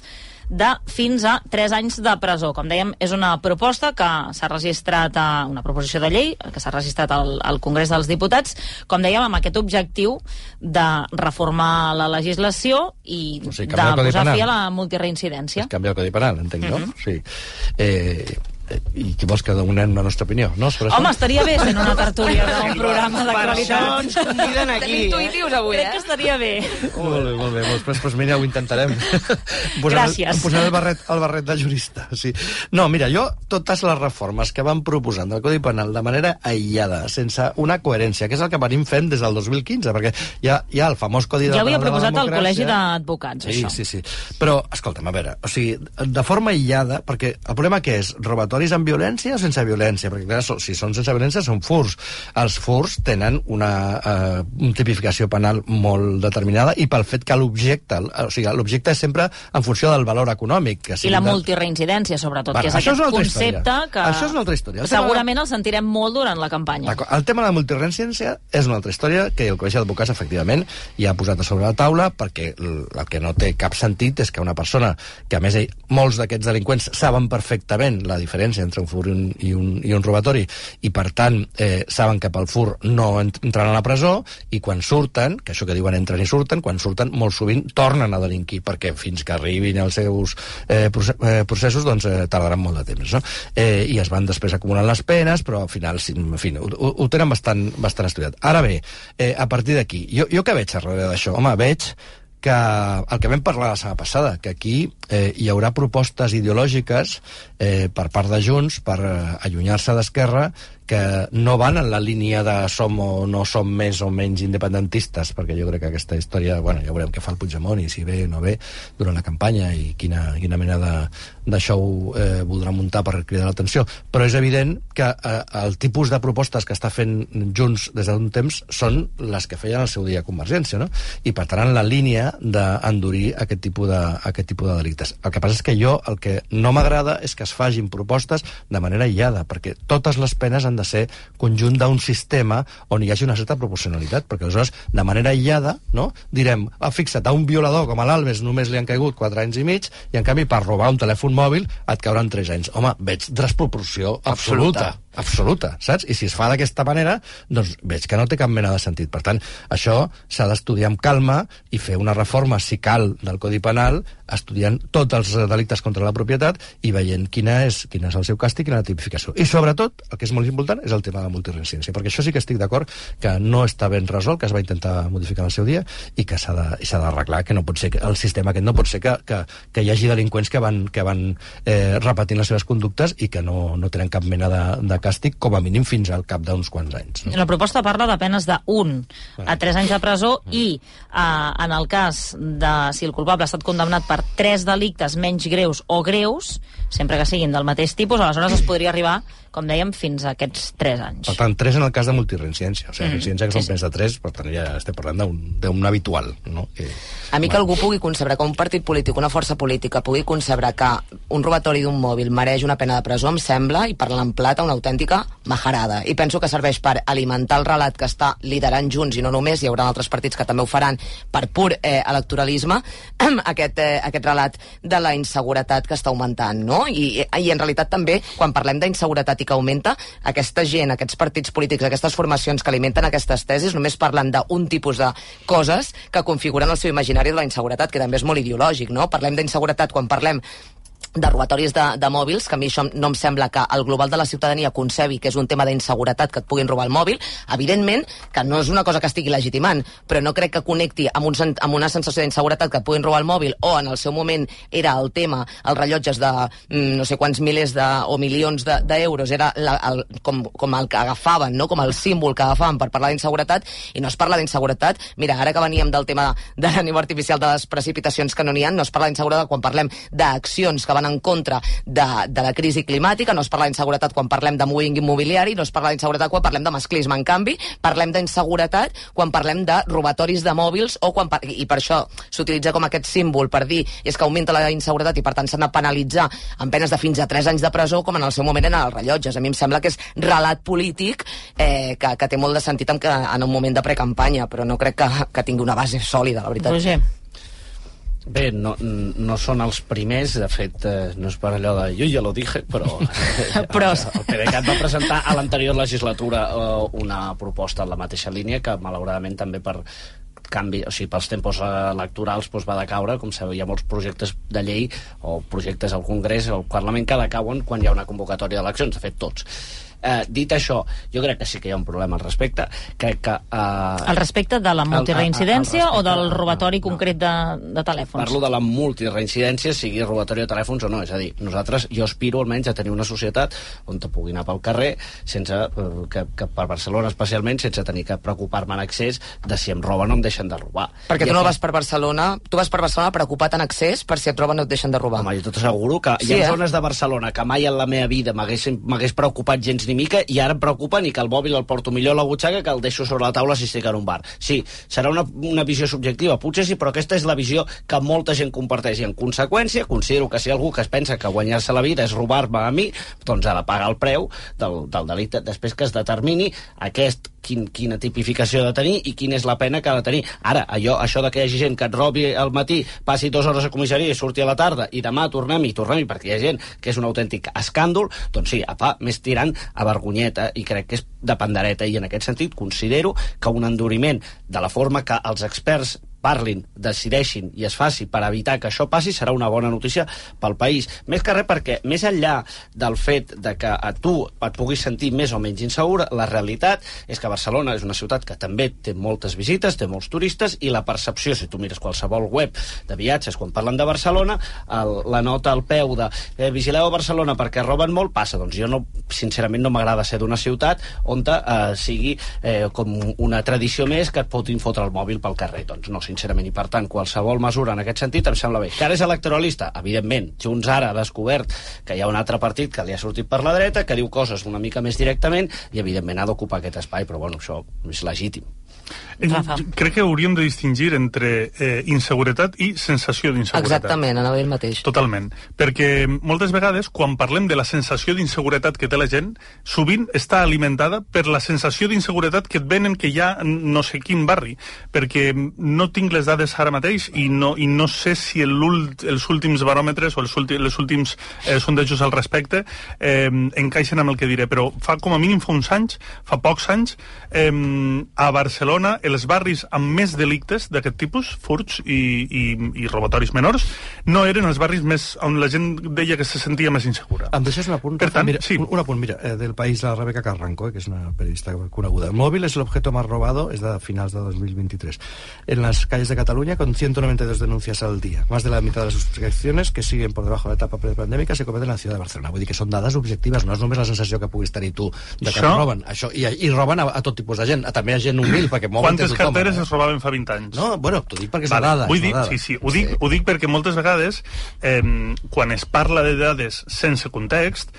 de fins a tres anys de presó. Com dèiem, és una proposta que s'ha registrat a una proposició de llei que s'ha registrat al, al Congrés dels Diputats, com dèiem, amb aquest objectiu de reformar la legislació i O sigui, de canviar el Codi posar Penal. fi a la multireincidència. Canviar el Codi Penal, entenc, no? Mhm. Sí. Eh, i qui vols que donem la nostra opinió, no? Home, estaria bé fent una tertúlia d'un programa d'actualitat. Per això ens conviden aquí. Tenim intuïtius avui, Crec eh? que estaria bé. Molt bé, molt bé. Després, doncs mira, ho intentarem. Gràcies. Em posaré el barret, el barret de jurista. Sí. No, mira, jo, totes les reformes que van proposant del Codi Penal de manera aïllada, sense una coherència, que és el que venim fent des del dos mil quinze, perquè hi ha, hi ha el famós Codi de, Ja ho havia de la proposat al democràcia. Col·legi d'Advocats, Sí, això. sí, sí. Però, escolta'm, a veure, o sigui, de forma aïllada, perquè el problema què és? Robatoris amb violència o sense violència? Perquè, clar, so- si són sense violència, són furs. Els furs tenen una eh, tipificació penal molt determinada i pel fet que l'objecte, o sigui, l'objecte és sempre en funció del valor econòmic. Que I sigui la de- multireincidència, sobretot, Bueno, que és això aquest és una altra concepte història. que Això és una altra història. El tema de- segurament el sentirem molt durant la campanya. D'acord. El tema de la multireincidència és una altra història que el Col·legi d'Advocats, efectivament, ja ha posat a sobre la taula, perquè el el que no té cap sentit és que una persona, que a més ell, molts d'aquests delinqüents saben perfectament la diferència entre un fur i un, i un, i un robatori, i per tant eh, saben que pel fur no ent- entraran a la presó, i quan surten, que això que diuen entren i surten, quan surten molt sovint tornen a delinquir, perquè fins que arribin als seus eh, proce- eh, processos doncs eh, tardaran molt de temps, no? Eh, i es van després acumulant les penes, però al final sí, en fi, ho, ho, ho tenen bastant, bastant estudiat. Ara bé, eh, a partir d'aquí, jo, jo què veig darrere d'això? Home, veig que el que vam parlar la setmana passada, que aquí eh, hi haurà propostes ideològiques eh, per part de Junts per eh, allunyar-se d'Esquerra que no van en la línia de som o no som més o menys independentistes, perquè jo crec que aquesta història, bueno, ja veurem què fa el Puigdemont i si ve o no ve durant la campanya i quina, quina mena de, de show eh, voldrà muntar per cridar l'atenció, però és evident que eh, el tipus de propostes que està fent Junts des d'un temps són les que feien al seu dia Convergència, no? I per tant en la línia d'endurir aquest tipus de, aquest tipus de delictes. El que passa és que jo el que no m'agrada és que es fagin propostes de manera aïllada, perquè totes les penes han de ser conjunt d'un sistema on hi hagi una certa proporcionalitat, perquè aleshores, de manera aïllada, no? Direm, ah, fixa't, a un violador com a l'Alves només li han caigut quatre anys i mig, i en canvi per robar un telèfon mòbil et cauran tres anys. Home, veig desproporció absoluta. absoluta. absoluta, saps? I si es fa d'aquesta manera, doncs veig que no té cap mena de sentit. Per tant, això s'ha d'estudiar amb calma i fer una reforma, si cal, del Codi Penal, estudiant tots els delictes contra la propietat i veient quina és, quin és el seu càstig i quina és la tipificació. I sobretot, el que és molt important, és el tema de la multireincidència, perquè això sí que estic d'acord que no està ben resolt, que es va intentar modificar en el seu dia i que s'ha d'arreglar, que no pot ser que el sistema aquest no pot ser que, que, que hi hagi delinqüents que van, que van eh, repetint les seves conductes i que no, no tenen cap mena de, de càstig, com a mínim fins al cap d'uns quants anys. No? La proposta parla de penes d'un a tres anys de presó i eh, en el cas de si el culpable ha estat condemnat per tres delictes menys greus o greus, sempre que siguin del mateix tipus, aleshores es podria arribar, com dèiem, fins a aquests tres anys. Per tant, tres en el cas de multireincidència. O sigui, Mm. reincidència que Sí, són sí. penes de tres, per tant, ja estem parlant d'un d'un habitual, no? Que, A mi que algú pugui concebre que un partit polític, una força política, pugui concebre que un robatori d'un mòbil mereix una pena de presó, em sembla, i parlant en plata, una autèntica majarada. I penso que serveix per alimentar el relat que està liderant Junts, i no només, hi haurà altres partits que també ho faran per pur eh, electoralisme, aquest, eh, aquest relat de la inseguretat que està augmentant, no? I, i en realitat també, quan parlem d'inseguretat i que augmenta, aquesta gent, aquests partits polítics, aquestes formacions que alimenten aquestes tesis, només parlen d'un tipus de coses que configuren el seu imaginari de la inseguretat, que també és molt ideològic, no? Parlem d'inseguretat quan parlem de robatoris de, de mòbils, que a mi això no em sembla que el global de la ciutadania concebi que és un tema d'inseguretat que et puguin robar el mòbil. Evidentment que no és una cosa que estigui legitimant, però no crec que connecti amb, un, amb una sensació d'inseguretat que et puguin robar el mòbil, o en el seu moment era el tema, els rellotges de mm, no sé quants milers de, o milions d'euros, de, era la, el, com, com el que agafaven, no? Com el símbol que agafaven per parlar d'inseguretat, i no es parla d'inseguretat. Mira, ara que veníem del tema de la neu artificial de les precipitacions que no n'hi ha, no es parla d'inseguretat quan parlem d'accions que van en contra de, de la crisi climàtica, no es parla d'inseguretat quan parlem de moving immobiliari, no es parla d'inseguretat quan parlem de masclisme. En canvi, parlem d'inseguretat quan parlem de robatoris de mòbils, o quan, i per això s'utilitza com aquest símbol per dir és que augmenta la inseguretat i per tant s'han de penalitzar amb penes de fins a tres anys de presó, com en el seu moment eren els rellotges. A mi em sembla que és relat polític eh, que, que té molt de sentit en, que, en un moment de precampanya, però no crec que, que tingui una base sòlida, la veritat. Roger. Bé, no, no són els primers, de fet, eh, no és per allò de jo ja lo dije, però, eh, Però- el, el PDeCAT va presentar a l'anterior legislatura eh, una proposta en la mateixa línia que, malauradament, també per canvi, o sigui, pels tempos electorals doncs va decaure, com sabeu, hi ha molts projectes de llei o projectes al Congrés o al Parlament que decauen quan hi ha una convocatòria d'eleccions, de fet tots. Eh, dit això, jo crec que sí que hi ha un problema al respecte. Crec que... Eh, al respecte de la multireincidència el, el, el o del robatori no, concret de, de telèfons? Parlo de la multireincidència, sigui robatori de telèfons o no. És a dir, nosaltres, jo aspiro almenys a tenir una societat on te pugui anar pel carrer sense, eh, que, que per Barcelona especialment, sense tenir que preocupar-me en excés de si em roben o em deixen de robar. Perquè I tu no aquí... vas per Barcelona, tu vas per Barcelona preocupat en excés per si et roben o et deixen de robar. Home, jo tot asseguro que sí, hi ha eh? zones de Barcelona que mai en la meva vida m'hagués preocupat gens ni mica, i ara em preocupa ni que el mòbil el porto millor a la butxaca que el deixo sobre la taula si estic en un bar. Sí, serà una, una visió subjectiva, potser sí, però aquesta és la visió que molta gent comparteix, i en conseqüència considero que si algú que es pensa que guanyar-se la vida és robar-me a mi, doncs ha de pagar el preu del, del delicte, després que es determini aquest quin, quina tipificació ha de tenir i quina és la pena que ha de tenir. Ara, allò, això de que hi hagi gent que et robi al matí, passi dues hores a comissaria i surti a la tarda i demà tornem-hi, tornem-hi, perquè hi ha gent que és un autèntic escàndol, doncs sí, apa, més tirant a vergonyeta, i crec que és de pandereta, i en aquest sentit considero que un enduriment de la forma que els experts parlin, decideixin i es faci per evitar que això passi serà una bona notícia pel país. Més que res perquè, més enllà del fet de que a tu et puguis sentir més o menys insegura, la realitat és que Barcelona és una ciutat que també té moltes visites, té molts turistes, i la percepció, si tu mires qualsevol web de viatges quan parlen de Barcelona, el, la nota al peu de eh, vigileu a Barcelona perquè roben molt, passa. Doncs jo no, sincerament no m'agrada ser d'una ciutat on eh, sigui eh, com una tradició més que et fotin fotre el mòbil pel carrer. Doncs no, sincerament, i per tant qualsevol mesura en aquest sentit em sembla bé. Que ara és electoralista, evidentment. Junts ara ha descobert que hi ha un altre partit que li ha sortit per la dreta, que diu coses una mica més directament, i evidentment ha d'ocupar aquest espai, però bueno, això és legítim. Rafa. Crec que hauríem de distingir entre eh, inseguretat i sensació d'inseguretat. Exactament, anava el mateix. Totalment. Perquè moltes vegades, quan parlem de la sensació d'inseguretat que té la gent, sovint està alimentada per la sensació d'inseguretat que et venen que hi ha no sé quin barri. Perquè no tinc les dades ara mateix i no, i no sé si l'ult, els últims baròmetres o els últims, els últims eh, sondejos al respecte eh, encaixen amb el que diré. Però fa com a mínim fa uns anys, fa pocs anys, eh, a Barcelona, els barris amb més delictes d'aquest tipus, furts i, i, i robatoris menors, no eren els barris més on la gent deia que se sentia més insegura. Em deixes un apunt? Per tant, mira, sí. un, un apunt, mira, eh, del País, la Rebeca Carranco, eh, que és una periodista coneguda. El móvil es el objeto más robado, es de finals de dos mil veintitrés, en las calles de Cataluña, con ciento noventa y dos denuncias al día. Más de la mitad de las sustracciones que siguen por debajo de la etapa prepandèmica se cometen en la ciudad de Barcelona. Vull dir que són dades objectives, no és només la sensació que puguis tenir tu de que Això... roben. Això, i, I roben a, a tot tipus de gent. També hi ha gent humil, perquè mouen Quantes tothom, carteres eh? es robaven fa vint anys? No, bueno, t'ho dic perquè és vale. una dada. Vull és dir, una dada. sí, sí, ho dic, sí. ho dic perquè moltes vegades, eh, quan es parla de dades sense context,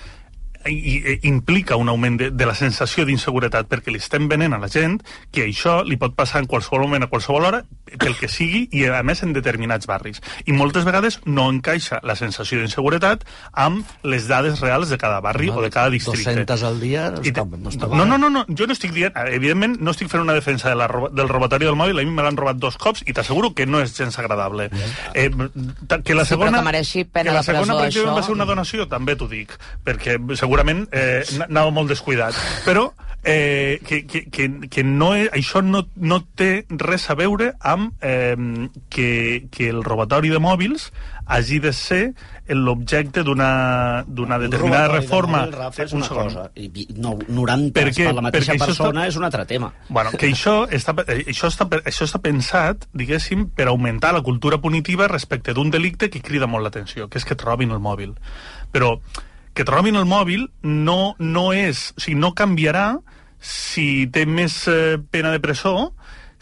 i, i implica un augment de, de la sensació d'inseguretat, perquè li estem venent a la gent que això li pot passar en qualsevol moment, a qualsevol hora, pel que sigui, i a més en determinats barris. I moltes vegades no encaixa la sensació d'inseguretat amb les dades reals de cada barri no, o de cada districte. dues-centes al dia no està, no està no, no, no, no, jo no estic dient, evidentment no estic fent una defensa de la, del robatori del mòbil, a mi me l'han robat dos cops i t'asseguro que no és gens agradable. Eh, que la segona, sí, que mereixi pena que la de presó, segona per exemple, això... va ser una donació, també t'ho dic, perquè segurament eh, anava molt descuidat, però eh, que, que, que, que no és, això no, no té res a veure amb eh, que, que el robatori de mòbils hagi de ser l'objecte d'una determinada reforma. Mòbil, Rafa, és una cosa, i no, noranta perquè, per la mateixa persona està, és un altre tema. Bueno, que això està, això, està, això està pensat, diguéssim, per augmentar la cultura punitiva respecte d'un delicte que crida molt l'atenció, que és que et robin el mòbil. Però que et robin el mòbil no, no és... O sigui, no canviarà si té més eh, pena de presó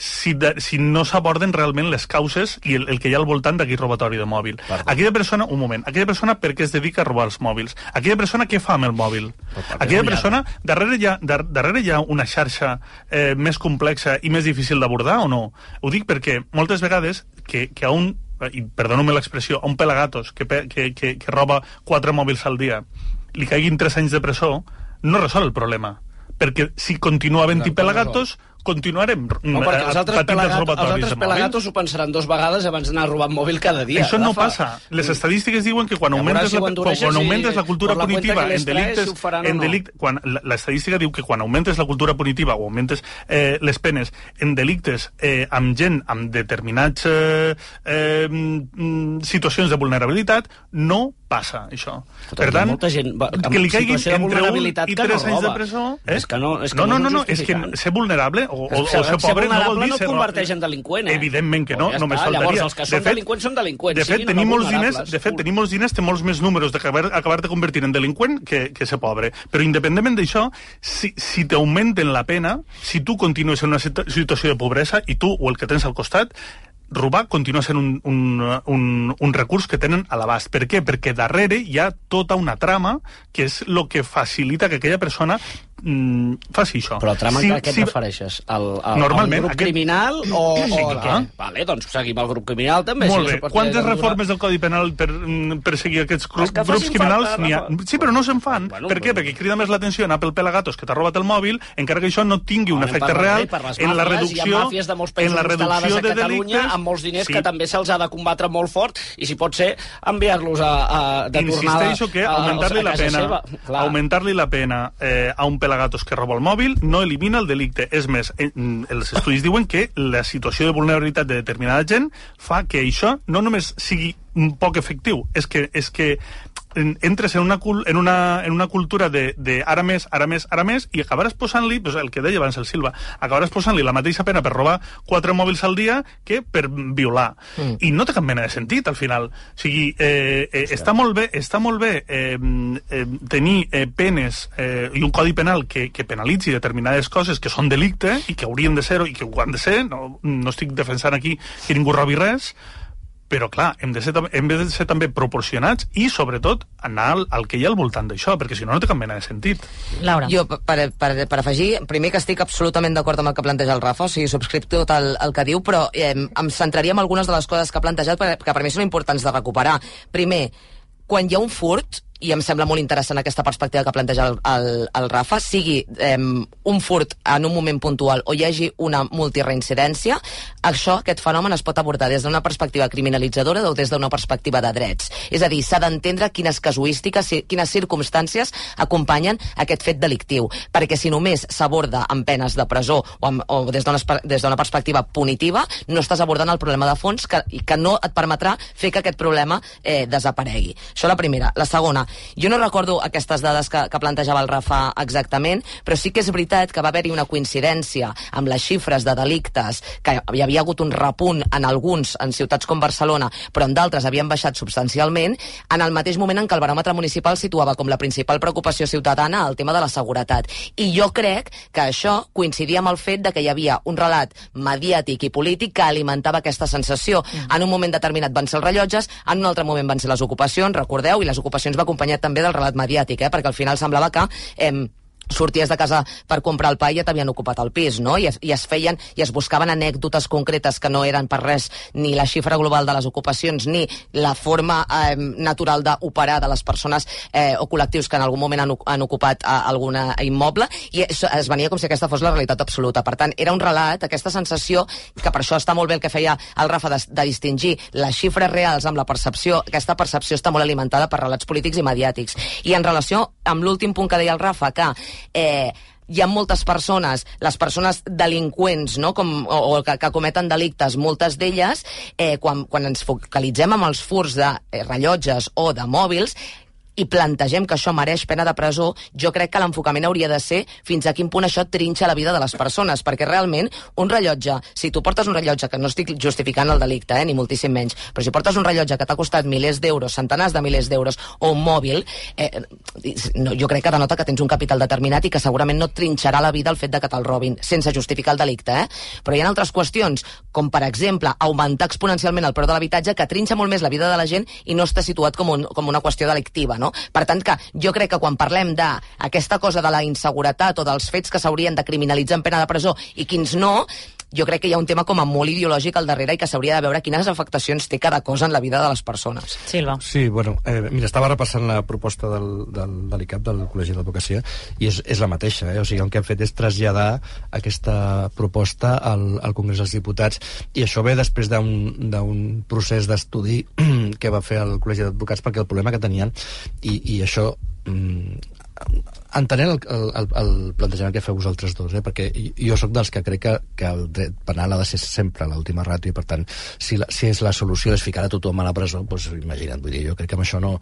si, de, si no s'aborden realment les causes i el, el que hi ha al voltant d'aquell robatori de mòbil. Perdó. Aquella persona, un moment, aquella persona per què es dedica a robar els mòbils? Aquella persona què fa amb el mòbil? Aquella persona, darrere hi ha, dar, darrere hi ha una xarxa eh, més complexa i més difícil d'abordar o no? Ho dic perquè moltes vegades que, que a un, i perdoneu-me l'expressió, a un pelagatos que, que, que, que roba quatre mòbils al dia li caiguin tres anys de presó, no resol el problema. Perquè si continua havent-hi pelagatos, continuarem no, perquè els altres, patint els robatoris els altres pelagatos ho pensaran dos vegades abans d'anar a robar mòbil cada dia. Això no passa. Les estadístiques diuen que quan augmentes, la, quan augmentes la cultura punitiva en delictes... En delicte, quan, l'estadística diu que quan augmentes la cultura punitiva o augmentes eh, les penes en delictes eh, amb gent amb determinats eh, eh, situacions de vulnerabilitat, no passa això. Per tant, molta gent que li caiguin entre un i tres anys de presó... Eh? És que no, és que no, no, no, no, no, és que ser vulnerable o, o, o ser pobre no vol dir no ser... no converteix en delinqüent, eh? Evidentment que no, ja només està. faltaria. Llavors, els que són fet, delinqüents són delinqüents. De fet, tenir molts diners, de fet, tenir molts diners té molts més números d'acabar acabar-te convertint en delinqüent que, que ser pobre. Però independentment d'això, si, si t'augmenten la pena, si tu continues en una situació de pobresa i tu o el que tens al costat, robar continua sent un, un, un, un recurs que tenen a l'abast. Per què? Perquè darrere hi ha tota una trama que és el que facilita que aquella persona mm, faci això. Però el trama si, a què et si, refereixes? Al, al, normalment, al grup aquest... criminal o, sí, o clar. què? Vale, doncs seguim el grup criminal també. Molt si bé. Quantes reformes del Codi Penal per, per seguir aquests grups, grups criminals n'hi ha? Sí, però no se'n fan. Bueno, per què? Perquè crida més l'atenció en Apple Pelagatos que t'ha robat el mòbil, encara que això no tingui un efecte real en la reducció, hi ha màfies de molts països en la reducció a de Catalunya delictes, amb molts diners sí. que també se'ls ha de combatre molt fort i si pot ser enviar-los a, a, de tornada Insisteixo que augmentar-li la pena augmentar-li la pena eh, a un Pelagatos que roba el mòbil no elimina el delicte. És més, eh, els estudis diuen que la situació de vulnerabilitat de determinada gent fa que això no només sigui un poc efectiu, és que, és que entres en una, en una, en una cultura de, de ara més, ara més, ara més, i acabaràs posant-li, pues, el que deia abans el Silva, acabaràs posant-li la mateixa pena per robar quatre mòbils al dia que per violar. Mm. I no té cap mena de sentit, al final. O sigui, eh, eh, està molt bé, està molt bé eh, eh, tenir eh, penes eh, i un codi penal que, que penalitzi determinades coses que són delicte i que haurien de ser i que ho han de ser, no, no estic defensant aquí que ningú robi res, però clar, hem de ser, hem de ser també proporcionats i, sobretot, anar al, al que hi ha al voltant d'això, perquè si no, no té cap mena de sentit. Laura. Jo, per, per, per afegir, primer que estic absolutament d'acord amb el que planteja el Rafa, o sigui, subscric tot el, el que diu, però eh, em centraria en algunes de les coses que ha plantejat que per mi són importants de recuperar. Primer, quan hi ha un furt, i em sembla molt interessant aquesta perspectiva que planteja el, el, el Rafa, sigui eh, un furt en un moment puntual o hi hagi una multireincidència, això, aquest fenomen es pot abordar des d'una perspectiva criminalitzadora o des d'una perspectiva de drets. És a dir, s'ha d'entendre quines casuístiques, quines circumstàncies acompanyen aquest fet delictiu, perquè si només s'aborda amb penes de presó o, amb, o des d'una perspectiva punitiva, no estàs abordant el problema de fons que, que no et permetrà fer que aquest problema eh, desaparegui. Això la primera. La segona, jo no recordo aquestes dades que, que plantejava el Rafa exactament, però sí que és veritat que va haver-hi una coincidència amb les xifres de delictes, que hi havia hagut un repunt en alguns, en ciutats com Barcelona, però en d'altres havien baixat substancialment, en el mateix moment en què el baròmetre municipal situava com la principal preocupació ciutadana el tema de la seguretat. I jo crec que això coincidia amb el fet de que hi havia un relat mediàtic i polític que alimentava aquesta sensació. En un moment determinat van ser els rellotges, en un altre moment van ser les ocupacions, recordeu, i les ocupacions va acompanyat també del relat mediàtic, eh? Perquè al final semblava que eh, sorties de casa per comprar el pa i ja t'havien ocupat el pis, no? I es, i es feien, i es buscaven anècdotes concretes que no eren per res ni la xifra global de les ocupacions ni la forma eh, natural d'operar de les persones eh, o col·lectius que en algun moment han, han ocupat eh, algun immoble, i es, es venia com si aquesta fos la realitat absoluta. Per tant, era un relat, aquesta sensació, que per això està molt bé el que feia el Rafa de, de distingir les xifres reals amb la percepció. Aquesta percepció està molt alimentada per relats polítics i mediàtics. I en relació amb l'últim punt que deia el Rafa, que eh, hi ha moltes persones, les persones delinqüents, no? Com, o, o que, que cometen delictes, moltes d'elles, eh, quan, quan ens focalitzem amb els furts de eh, rellotges o de mòbils, i plantegem que això mereix pena de presó, jo crec que l'enfocament hauria de ser fins a quin punt això trinxa la vida de les persones, perquè realment un rellotge, si tu portes un rellotge, que no estic justificant el delicte, eh, ni moltíssim menys, però si portes un rellotge que t'ha costat milers d'euros, centenars de milers d'euros, o un mòbil, eh, no, jo crec que denota que tens un capital determinat i que segurament no trinxarà la vida el fet de que te'l robin, sense justificar el delicte, eh? Però hi ha altres qüestions, com per exemple augmentar exponencialment el preu de l'habitatge, que trinxa molt més la vida de la gent i no està situat com, un, com una qüestió delictiva, no? Per tant, que jo crec que quan parlem d'aquesta cosa de la inseguretat o dels fets que s'haurien de criminalitzar en pena de presó i quins no, jo crec que hi ha un tema com a molt ideològic al darrere i que s'hauria de veure quines afectacions té cada cosa en la vida de les persones. Silva. Sí, bueno, eh, mira, estava repassant la proposta del, del, de l'I C A P, del Col·legi d'Advocacia, i és, és la mateixa, eh? O sigui, el que hem fet és traslladar aquesta proposta al, al Congrés dels Diputats, i això ve després d'un procés d'estudi que va fer el Col·legi d'Advocats, perquè el problema que tenien, i, i això... Mm, entenent el, el, el plantejament que feu vosaltres dos, eh? Perquè jo sóc dels que crec que, que el dret penal ha de ser sempre l'última ràtio, i per tant, si, la, si és la solució és ficar a tothom a la presó, doncs imagina't, vull dir, jo crec que amb això no,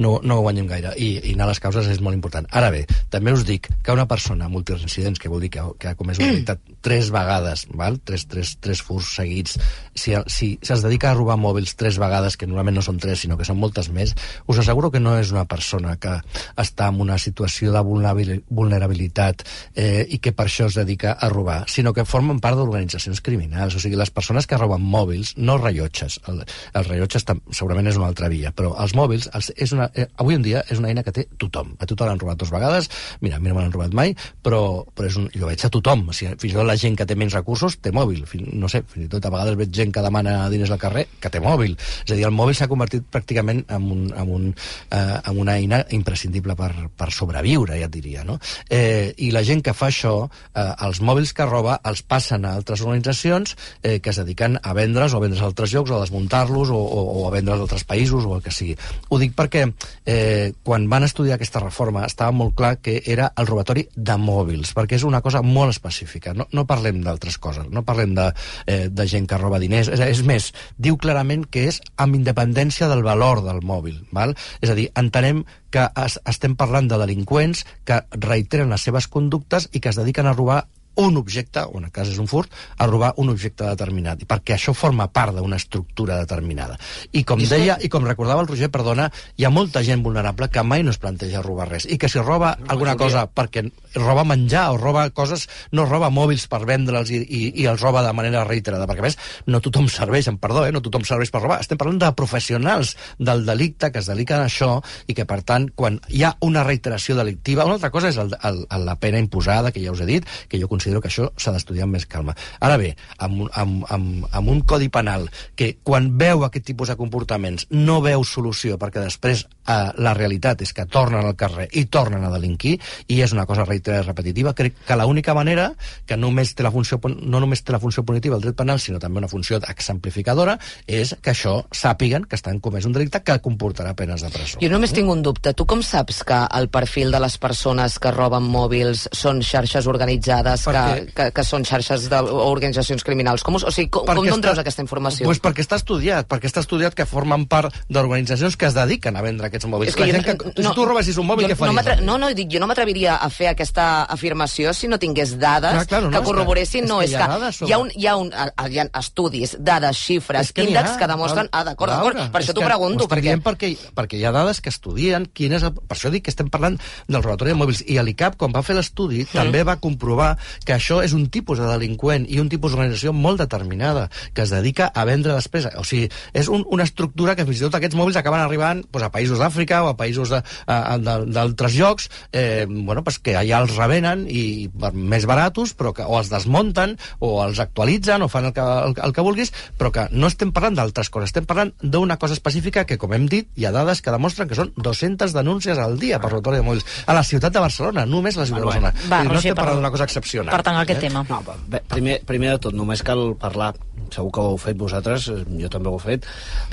no, no ho guanyem gaire, i, i anar a les causes és molt important. Ara bé, també us dic que una persona multireincidents, que vol dir que, que ha comès una delicte tres vegades, val? Tres, tres, tres furs seguits, si, si, si es dedica a robar mòbils tres vegades, que normalment no són tres, sinó que són moltes més, us asseguro que no és una persona que està en una situació de vulnerabilitat eh, i que per això es dedica a robar, sinó que formen part d'organitzacions criminals. O sigui, les persones que roben mòbils, no rellotges, el, el rellotge segurament és una altra via, però els mòbils, els, és una, eh, avui en dia és una eina que té tothom. A tothom l'han robat dues vegades, mira, a mi no me l'han robat mai, però, però és un, jo veig a tothom, o sigui, fins i tot la gent que té menys recursos té mòbil, fins, no sé, fins i tot a vegades veig gent que demana diners al carrer que té mòbil. És a dir, el mòbil s'ha convertit pràcticament en, un, en, un, eh, en una eina imprescindible per, per sobreviure, ja et diria, no? Eh, I la gent que fa això, eh, els mòbils que roba els passen a altres organitzacions eh, que es dediquen a vendre's o a vendre's a altres llocs o a desmuntar-los o, o, o a vendre's a altres països o el que sigui. Ho dic perquè eh, quan van estudiar aquesta reforma estava molt clar que era el robatori de mòbils, perquè és una cosa molt específica. No, no parlem d'altres coses, no parlem de, eh, de gent que roba diners. És, és més, diu clarament que és amb independència del valor del mòbil, val? És a dir, entenem que es, estem parlant de delinqüents que reiteren les seves conductes i que es dediquen a robar un objecte, o en el cas és un furt, a robar un objecte determinat, perquè això forma part d'una estructura determinada. I com deia, i com recordava el Roger, perdona, hi ha molta gent vulnerable que mai no es planteja robar res, i que si roba alguna cosa perquè roba menjar o roba coses, no roba mòbils per vendre'ls i, i, i els roba de manera reiterada, perquè a més no tothom serveix, em perdó, eh, no tothom serveix per robar, estem parlant de professionals del delicte que es dediquen a això i que per tant, quan hi ha una reiteració delictiva, una altra cosa és el, el, el, la pena imposada, que ja us he dit, que jo considero que això s'ha d'estudiar amb més calma. Ara bé, amb, amb, amb, amb un codi penal que quan veu aquest tipus de comportaments no veu solució, perquè després eh, la realitat és que tornen al carrer i tornen a delinquir, i és una cosa reiterada i repetitiva, crec que l'única manera que només té la funció, no només té la funció punitiva el dret penal, sinó també una funció exemplificadora, és que això sàpiguen que estan comès un delicte que comportarà penes de presó. Jo només tinc un dubte. Tu com saps que el perfil de les persones que roben mòbils són xarxes organitzades, que, que, que són xarxes d'organitzacions criminals? Com, o sigui, com, com d'on treus aquesta informació? Pues perquè està estudiat, perquè està estudiat que formen part d'organitzacions que es dediqen a vendre aquests mòbils. Que jo, que, si no, tu robessis un mòbil, jo, què faries? No, no, no, dic, jo no m'atreviria a fer aquesta afirmació si no tingués dades clar, clar, no, que corroboressin. No, és que, és que hi, ha un, hi, ha un, hi ha estudis, dades, xifres, que índexs que demostren... Ah, d'acord, d'acord, per això t'ho pregunto. Perquè... perquè... perquè hi ha dades que estudien quin és el... Per això dic que estem parlant del robatori de mòbils. I l'I C A P, quan va fer l'estudi, mm. també va comprovar que això és un tipus de delinqüent i un tipus d'organització molt determinada, que es dedica a vendre després. O sigui, és un, una estructura que fins i tot aquests mòbils acaben arribant pues, a països d'Àfrica o a països d'altres llocs, eh, bueno, pues, que allà els revenen i per més baratos, però que o els desmunten o els actualitzen o fan el que, el, el que vulguis, però que no estem parlant d'altres coses, estem parlant d'una cosa específica que, com hem dit, hi ha dades que demostren que són dues-centes denúncies al dia per robatori de mòbils a la ciutat de Barcelona, només la ciutat de Barcelona. Va, no Roger, estem parlant d'una cosa excepcional. Per tant, aquest eh? tema. No, bé, primer, primer de tot, només cal parlar, segur que ho heu fet vosaltres, jo també ho he fet,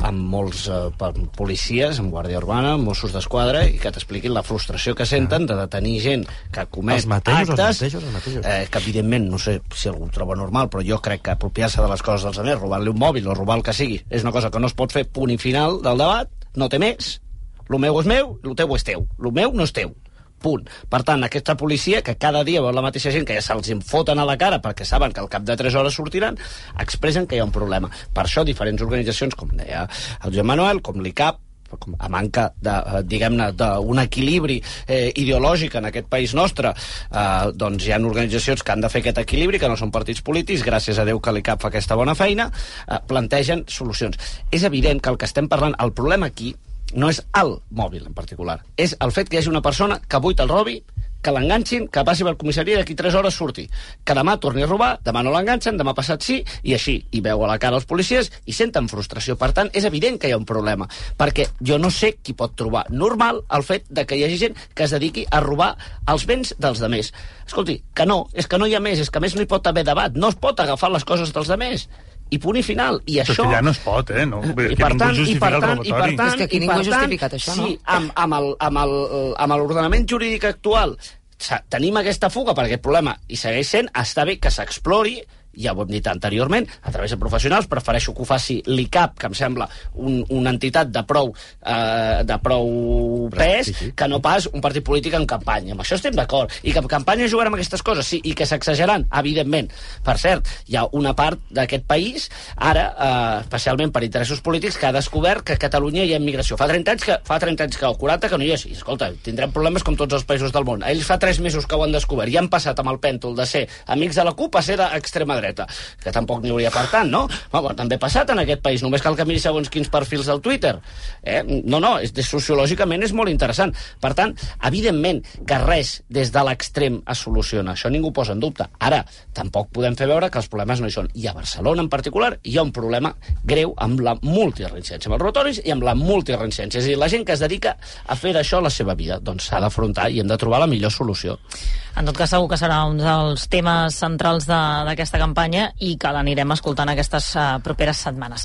amb molts eh, policies, amb Guàrdia Urbana, amb Mossos d'Esquadra, i que t'expliquin la frustració que senten de detenir gent que comet els mateixos, actes, els mateixos, els mateixos. Eh, que evidentment, no sé si algú ho troba normal, però jo crec que apropiar-se de les coses dels altres, robar-li un mòbil o robar el que sigui, és una cosa que no es pot fer, punt i final del debat, no té més, el meu és meu, el teu és teu, el meu no és teu. Punt. Per tant, aquesta policia, que cada dia veu la mateixa gent que ja se'ls foten a la cara perquè saben que al cap de tres hores sortiran, expressen que hi ha un problema. Per això, diferents organitzacions, com deia el Joan Manuel, com l'I C A P, a manca de, diguem-ne, d'un equilibri eh, ideològic en aquest país nostre, eh, doncs hi ha organitzacions que han de fer aquest equilibri, que no són partits polítics, gràcies a Déu que l'I C A P fa aquesta bona feina, eh, plantegen solucions. És evident que el que estem parlant, el problema aquí, no és el mòbil en particular, és el fet que hi hagi una persona que avui te'l robi, que l'enganxin, que passi per comissaria i d'aquí tres hores surti. Que demà torni a robar, demà no l'enganxen, demà passat sí, i així. I veu a la cara els policies i senten frustració. Per tant, és evident que hi ha un problema, perquè jo no sé qui pot trobar normal el fet de que hi hagi gent que es dediqui a robar els béns dels demés. Escolti, que no, és que no hi ha més, és que a més no hi pot haver debat, no es pot agafar les coses dels demés. I punt i final. I això... Però que ja no es pot, eh? No? I per tant, i per tant, i per tant, és que aquí ningú ha justificat això, no? Sí, amb, amb, el, amb, el, amb l'ordenament jurídic actual tenim aquesta fuga per aquest problema i segueix sent, està bé que s'explori, ja ho hem dit anteriorment, a través de professionals. Prefereixo que ho faci l'I C A P, que em sembla un, una entitat de prou, eh, de prou pes, que no pas un partit polític en campanya. Amb això estem d'acord. I que en campanya jugarem amb aquestes coses, sí, i que s'exageran, evidentment. Per cert, hi ha una part d'aquest país, ara, eh, especialment per interessos polítics, que ha descobert que a Catalunya hi ha immigració. Fa trenta anys que, fa trenta anys que, o quaranta que no hi és. I, escolta, tindrem problemes com tots els països del món. Ells fa tres mesos que ho han descobert i han passat amb el pèntol de ser amics de la CUP a ser d'extrema dreta, que tampoc n'hi hauria per tant, no? Bueno, també ha passat en aquest país, només cal que miri segons quins perfils del Twitter. Eh? No, no, és, sociològicament és molt interessant. Per tant, evidentment que res des de l'extrem es soluciona, això ningú posa en dubte. Ara, tampoc podem fer veure que els problemes no hi són. I a Barcelona en particular hi ha un problema greu amb la multireincidència, amb els robatoris i amb la multireincidència. És a dir, la gent que es dedica a fer això la seva vida, doncs s'ha d'afrontar i hem de trobar la millor solució. En tot cas, segur que serà un dels temes centrals d'aquesta campanya i que l'anirem escoltant aquestes uh, properes setmanes.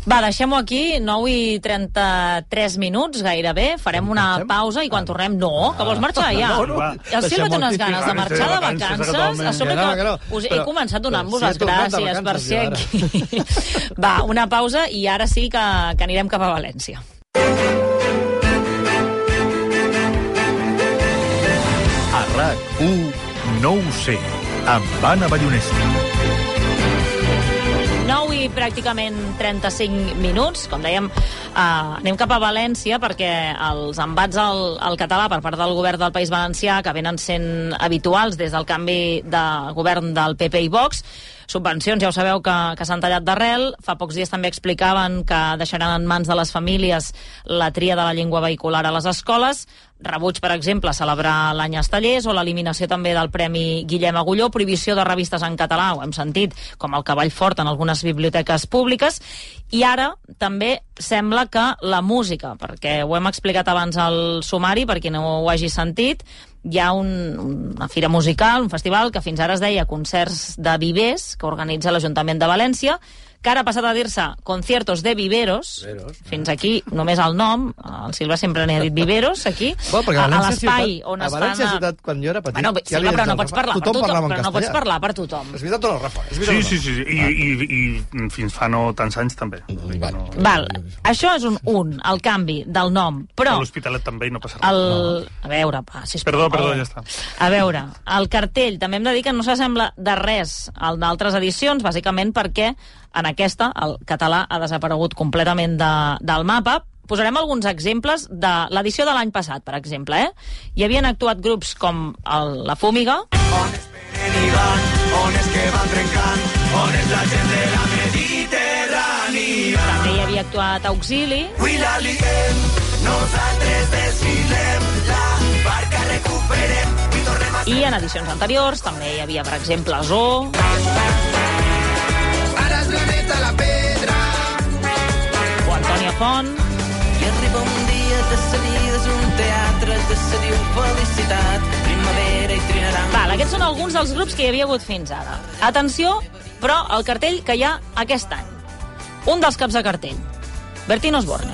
Va, deixem-ho aquí, nou i trenta-tres minuts, gairebé. Farem una pausa i quan tornem... No, que vols marxar ja? No, no. El Silva té unes ganes de marxar de vacances. A sobre que us he començat donant-vos les gràcies per ser aquí. Va, una pausa i ara sí que, que anirem cap a València. A RAC u no ho sé, amb Anna Ballonesta. nou i pràcticament trenta-cinc minuts. Com dèiem, eh, anem cap a València perquè els embats al, al català per part del govern del País Valencià, que venen sent habituals des del canvi de govern del P P i Vox, subvencions, ja ho sabeu, que, que s'han tallat d'arrel. Fa pocs dies també explicaven que deixaran en mans de les famílies la tria de la llengua vehicular a les escoles. Rebuig, per exemple, celebrar l'any Estellers o l'eliminació també del Premi Guillem Agulló, prohibició de revistes en català, ho hem sentit, com el Cavall Fort en algunes biblioteques públiques. I ara també sembla que la música, perquè ho hem explicat abans al sumari, per qui no ho hagi sentit, hi ha un, una fira musical, un festival que fins ara es deia Concerts de Vivers, que organitza l'Ajuntament de València, que ara ha passat a dir-se Conciertos de Viveros. Viveros. Fins aquí només el nom, el Silva sempre n'ha dit Viveros, aquí, bueno, a, a l'espai on a es València fan... A... ciutat, quan jo era petit... Bueno, ja Silva, però no pots parlar per tothom, tothom però no pots parlar per tothom. És veritat o no, Rafa? És Sí, no? sí, sí, i, i, i fins fa no tants anys també. Val. No, Val, això és un un, el canvi del nom, però... A l'Hospitalet també i no passa res. El... A veure, pa, sisplau. Perdó, perdó, ja està. A veure, el cartell també hem de dir que no s'assembla de res al d'altres edicions, bàsicament perquè en aquesta el català ha desaparegut completament de, del mapa. Posarem alguns exemples de l'edició de l'any passat, per exemple. Eh? Hi havien actuat grups com el, La Fúmiga. On és Benidorm, on és que van trencant, on és la gent de la Mediterrània. També hi havia actuat Auxili. Avui la liguem, nosaltres desfilem, la barca recuperem i tornem a... I en edicions anteriors també hi havia, per exemple, Zoo. Ara és la neta la pedra. O Antònia Font. I arriba un dia de sa vida, és un teatre de sa diu felicitat, primavera i trinaran... Val, aquests són alguns dels grups que hi havia hagut fins ara. Atenció, però, al cartell que hi ha aquest any. Un dels caps de cartell, Bertín Osborne.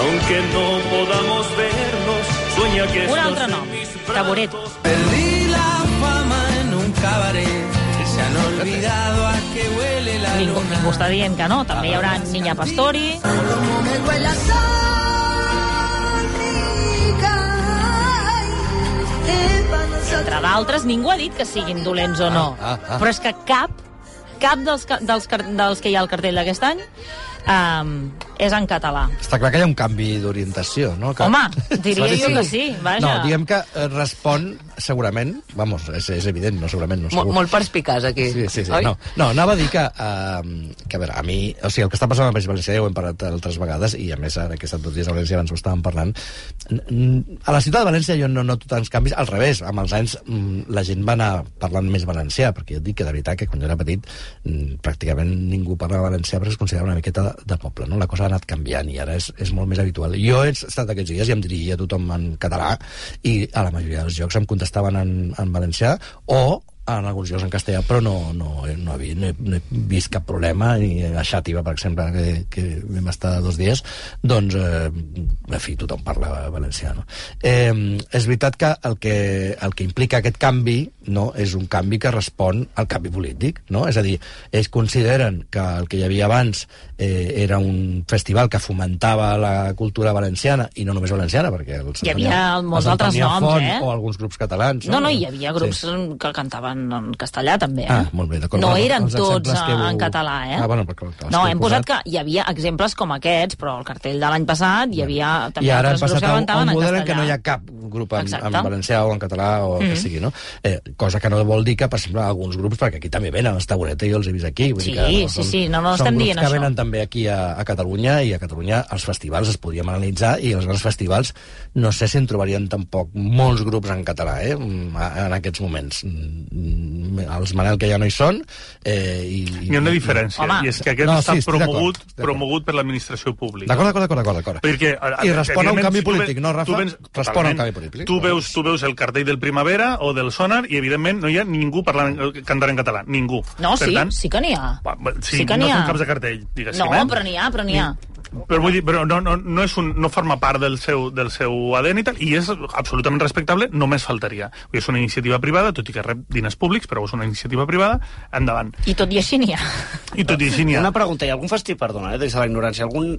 Aunque no podamos vernos, sueña que... Un altre nom, Caboret. Perdí la fama en un cabaret. Se han olvidado a que huele la ningú, luna. Ningú està dient que no. També hi haurà Niña Pastori. Entre d'altres, ningú ha dit que siguin dolents o no. Ah, ah, ah. Però és que cap, cap dels, dels, dels que hi ha al cartell d'aquest any um, és en català. Està clar que hi ha un canvi d'orientació, no? Que... Home, diria jo que sí, vaja. No, diguem que respon, segurament, vamos, és, és evident, no segurament, no segur. Molt, molt perspicaç, aquí. Sí, sí, sí. Oi? No, no, anava a dir que, uh, que, a veure, a mi, o sigui, el que està passant al País Valencià ja ho hem parlat altres vegades, i a més, ara que he estat dos dies a València, abans ho estàvem parlant, a la ciutat de València jo no noto tants canvis, al revés, amb els anys la gent va anar parlant més valencià, perquè jo et dic que de veritat que quan jo era petit pràcticament ningú parlava valencià perquè es considerava una miqueta de poble, no? La cosa ha anat canviant i ara és, és molt més habitual. Jo he estat aquests dies i em dirigia a tothom en català i a la majoria dels llocs em contestaven en, en valencià o en alguns llocs en castellà, però no, no, no, havia, no, he, no he vist cap problema, i a Xàtiva, per exemple, que, que vam estar dos dies, doncs, eh, en fi, tothom parla valencià, no? Eh, és veritat que el, que el que implica aquest canvi, no, és un canvi que respon al canvi polític, no? És a dir, ells consideren que el que hi havia abans eh, era un festival que fomentava la cultura valenciana, i no només valenciana, perquè els hi havia molts altres noms, Font, eh? o alguns grups catalans. No, no, no, hi havia grups sí. que cantaven en castellà, també, eh? Ah, molt bé, d'acord. No eren els tots heu... en català, eh? Ah, bueno, perquè, clar, no, que hem posat que hi havia exemples com aquests, però al cartell de l'any passat hi havia també I ara altres grups que cantaven en castellà. I ara hem passat a un model en què no hi ha cap grup en, en valencià o en català o el mm. que sigui, no? Eh, cosa que no vol dir que, per exemple, alguns grups, perquè aquí també venen, els Tabureta, jo els he vist aquí. Vull sí, dir que, no, sí, sí, no, no estem dient això. Són grups que això. venen també aquí a, a Catalunya, i a Catalunya els festivals es podríem analitzar, i els grans festivals no sé si en trobarien tampoc molts grups en català, eh, en aquests moments. Els Manel que ja no hi són, eh, i... Hi ha una diferència, Home. i és que aquest no, està sí, promogut, promogut per l'administració pública. D'acord, d'acord, d'acord, d'acord. Perquè, I respon a un canvi si polític, ve, no, Rafa? Vens, respon a un canvi polític. Tu veus, tu veus el cartell del Primavera o del Sonar i, evidentment, no hi ha ningú parlant, cantant en català. Ningú. No, per sí, tant, sí que n'hi ha. Sí, sí que no n'hi ha. són caps de cartell, diguéssim. No, eh? però n'hi ha, però n'hi ha. Però vull dir, però no, no, no, és un, no forma part del seu, del seu A D N i tal, i és absolutament respectable, només faltaria. Vull dir, és una iniciativa privada, tot i que rep diners públics, però és una iniciativa privada, endavant. I tot i així n'hi ha. I tot i així n'hi ha. Una pregunta, hi ha algun festival, perdona, eh, des de la ignorància, algun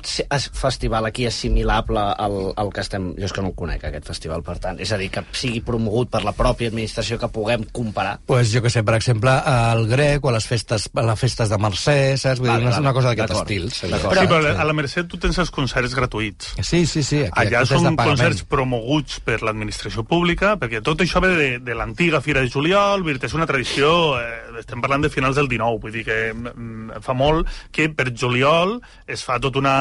festival aquí assimilable al, al que estem... Jo és que no el conec, aquest festival, per tant. És a dir, que sigui promogut per la pròpia administració, que puguem comparar. Pues jo que sé, per exemple, el grec o a les festes, a les festes de Mercè, saps? Vull dir, és una cosa d'aquest estil. Però, sí, però a la Mercè tu tens els concerts gratuïts. Sí, sí, sí. Aquí, allà aquí són concerts promoguts per l'administració pública, perquè tot això ve de, de l'antiga Fira de Juliol, és una tradició, eh, estem parlant de finals del dinou, vull dir que mm, fa molt que per juliol es fa tota una,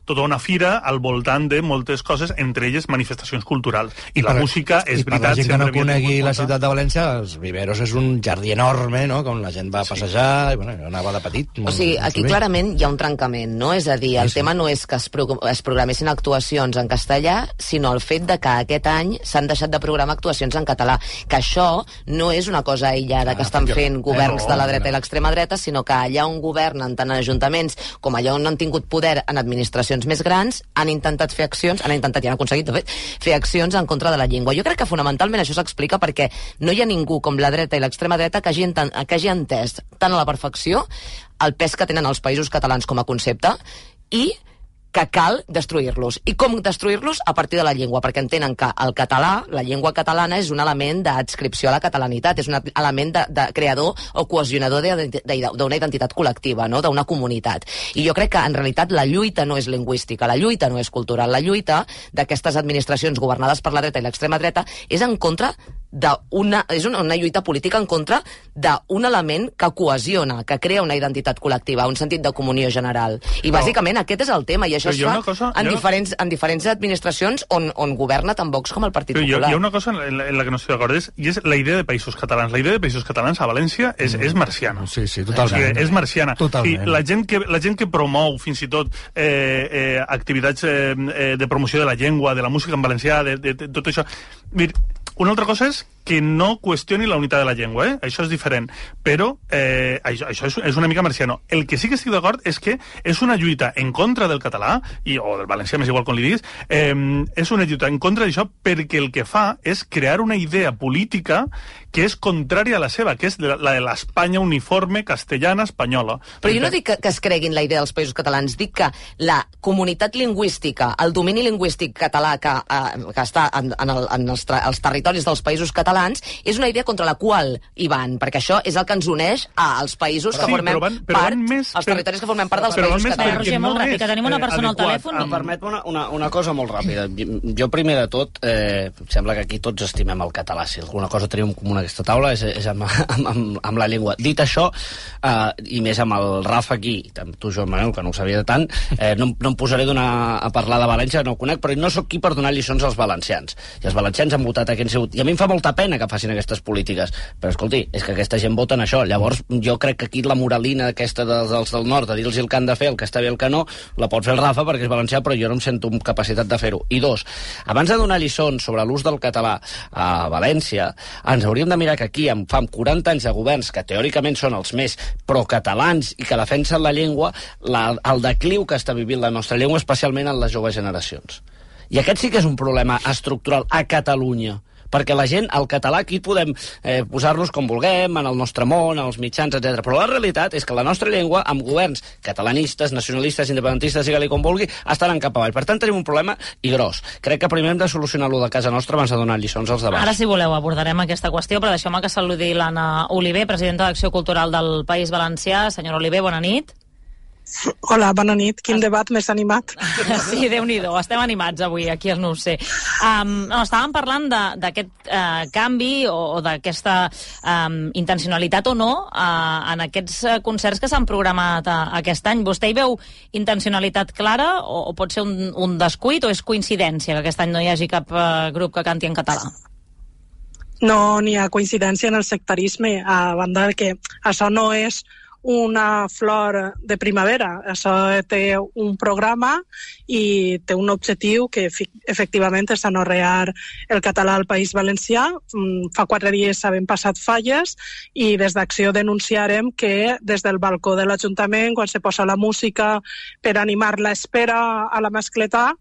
tota una fira al voltant de moltes coses, entre elles manifestacions culturals. I, I la per, música, és i veritat... I per la gent que no conegui la ciutat de València, els Viveros és un jardí enorme, no?, on la gent va a passejar, i bueno, anava de petit. O sigui, aquí clarament hi ha un trencament, no? És a dir, el sí, tema no és que es, pro es programessin actuacions en castellà, sinó el fet de que aquest any s'han deixat de programar actuacions en català. Que això no és una cosa aïllada ah, que estan fent governs eh, no, de la dreta no. i l'extrema dreta, sinó que allà on governen, tant en ajuntaments com allà on han tingut poder en administracions més grans, han intentat fer accions, han intentat i han aconseguit, de fet, fer accions en contra de la llengua. Jo crec que fonamentalment això s'explica perquè no hi ha ningú com la dreta i l'extrema dreta que hagi, que hagi entès tant a la perfecció el pes que tenen els països catalans com a concepte i que cal destruir-los. I com destruir-los? A partir de la llengua, perquè entenen que el català, la llengua catalana, és un element d'adscripció a la catalanitat, és un element de, de creador o cohesionador d'una identitat col·lectiva, no?, d'una comunitat. I jo crec que, en realitat, la lluita no és lingüística, la lluita no és cultural, la lluita d'aquestes administracions governades per la dreta i l'extrema dreta és en contra d'una... és una, una lluita política en contra d'un element que cohesiona, que crea una identitat col·lectiva, un sentit de comunió general. I, però, bàsicament, aquest és el tema, i això es fa cosa, en, diferents, en diferents administracions on, on governa tant Vox com el Partit però Popular. Hi ha una cosa en la, en la que no estic d'acord, és, i és la idea de països catalans. La idea de països catalans a València és, mm. és marciana. Sí, sí, totalment. O sigui, és marciana. Totalment. I la gent, que, la gent que promou, fins i tot, eh, eh, activitats eh, de promoció de la llengua, de la música en valencià, de, de, de tot això... Mir, una altra cosa és que no qüestioni la unitat de la llengua, eh? Això és diferent, però eh, això, això és, és una mica marciano. El que sí que estic d'acord és que és una lluita en contra del català, i, o del valencià, més igual com li diguis, eh, és una lluita en contra d'això perquè el que fa és crear una idea política que és contrària a la seva, que és la de l'Espanya uniforme castellana espanyola. Però jo no dic que, que es creguin la idea dels països catalans, dic que la comunitat lingüística, el domini lingüístic català que, eh, que està en, en, el, en els, els territoris dels països catalans catalans, és una idea contra la qual hi van, perquè això és el que ens uneix als països que Sí, formem però van- però part, van més als per- territoris que formem part dels però van països més catalans. perquè Roger, molt no ràpid, és, que tenim una eh, persona al adequat. telèfon. Em permet una, una, una cosa molt ràpida. Jo, primer de tot, eh, sembla que aquí tots estimem el català. Si alguna cosa tenim en comú en aquesta taula és, és amb, amb, amb, amb la llengua. Dit això, eh, i més amb el Rafa aquí, i amb tu, Joan Manuel, que no ho sabia de tant, eh, no, no em posaré donar, a parlar de València, no ho conec, però no sóc qui per donar lliçons als valencians. I els valencians han votat a qui han sigut. I a mi em fa molta pena que facin aquestes polítiques. Però, escolti, és que aquesta gent vota en això. Llavors, jo crec que aquí la moralina aquesta dels, dels del nord, de dir-los el que han de fer, el que està bé el que no, la pot fer el Rafa perquè és valencià, però jo no em sento amb capacitat de fer-ho. I dos, abans de donar lliçons sobre l'ús del català a València, ens hauríem de mirar que aquí, en fa quaranta anys de governs, que teòricament són els més procatalans i que defensen la llengua, la, el decliu que està vivint la nostra llengua, especialment en les joves generacions. I aquest sí que és un problema estructural a Catalunya, perquè la gent, el català, aquí podem eh, posar-nos com vulguem, en el nostre món, en els mitjans, etcètera. Però la realitat és que la nostra llengua, amb governs catalanistes, nacionalistes, independentistes, digue-li com vulgui, estan cap avall. Per tant, tenim un problema i gros. Crec que primer hem de solucionar-lo de casa nostra abans de donar lliçons als de baix. Ara, si voleu, abordarem aquesta qüestió, però deixeu-me que saludi l'Anna Oliver, presidenta d'Acció Cultural del País Valencià. Senyora Oliver, bona nit. Hola, bona nit. Quin debat més animat. Sí, Déu-n'hi-do, estem animats avui aquí al No ho sé. Um, no, estàvem parlant d'aquest uh, canvi o, o d'aquesta um, intencionalitat o no uh, en aquests uh, concerts que s'han programat uh, aquest any. Vostè hi veu intencionalitat clara o, o pot ser un, un descuit o és coincidència que aquest any no hi hagi cap uh, grup que canti en català? No n'hi ha coincidència en el sectarisme, a banda que això no és una flor de primavera. Això té un programa i té un objectiu que efectivament és anorrear el català al País Valencià. Fa quatre dies s'han passat falles i des d'Acció denunciarem que des del balcó de l'Ajuntament, quan se posa la música per animar l'espera a la mascletà,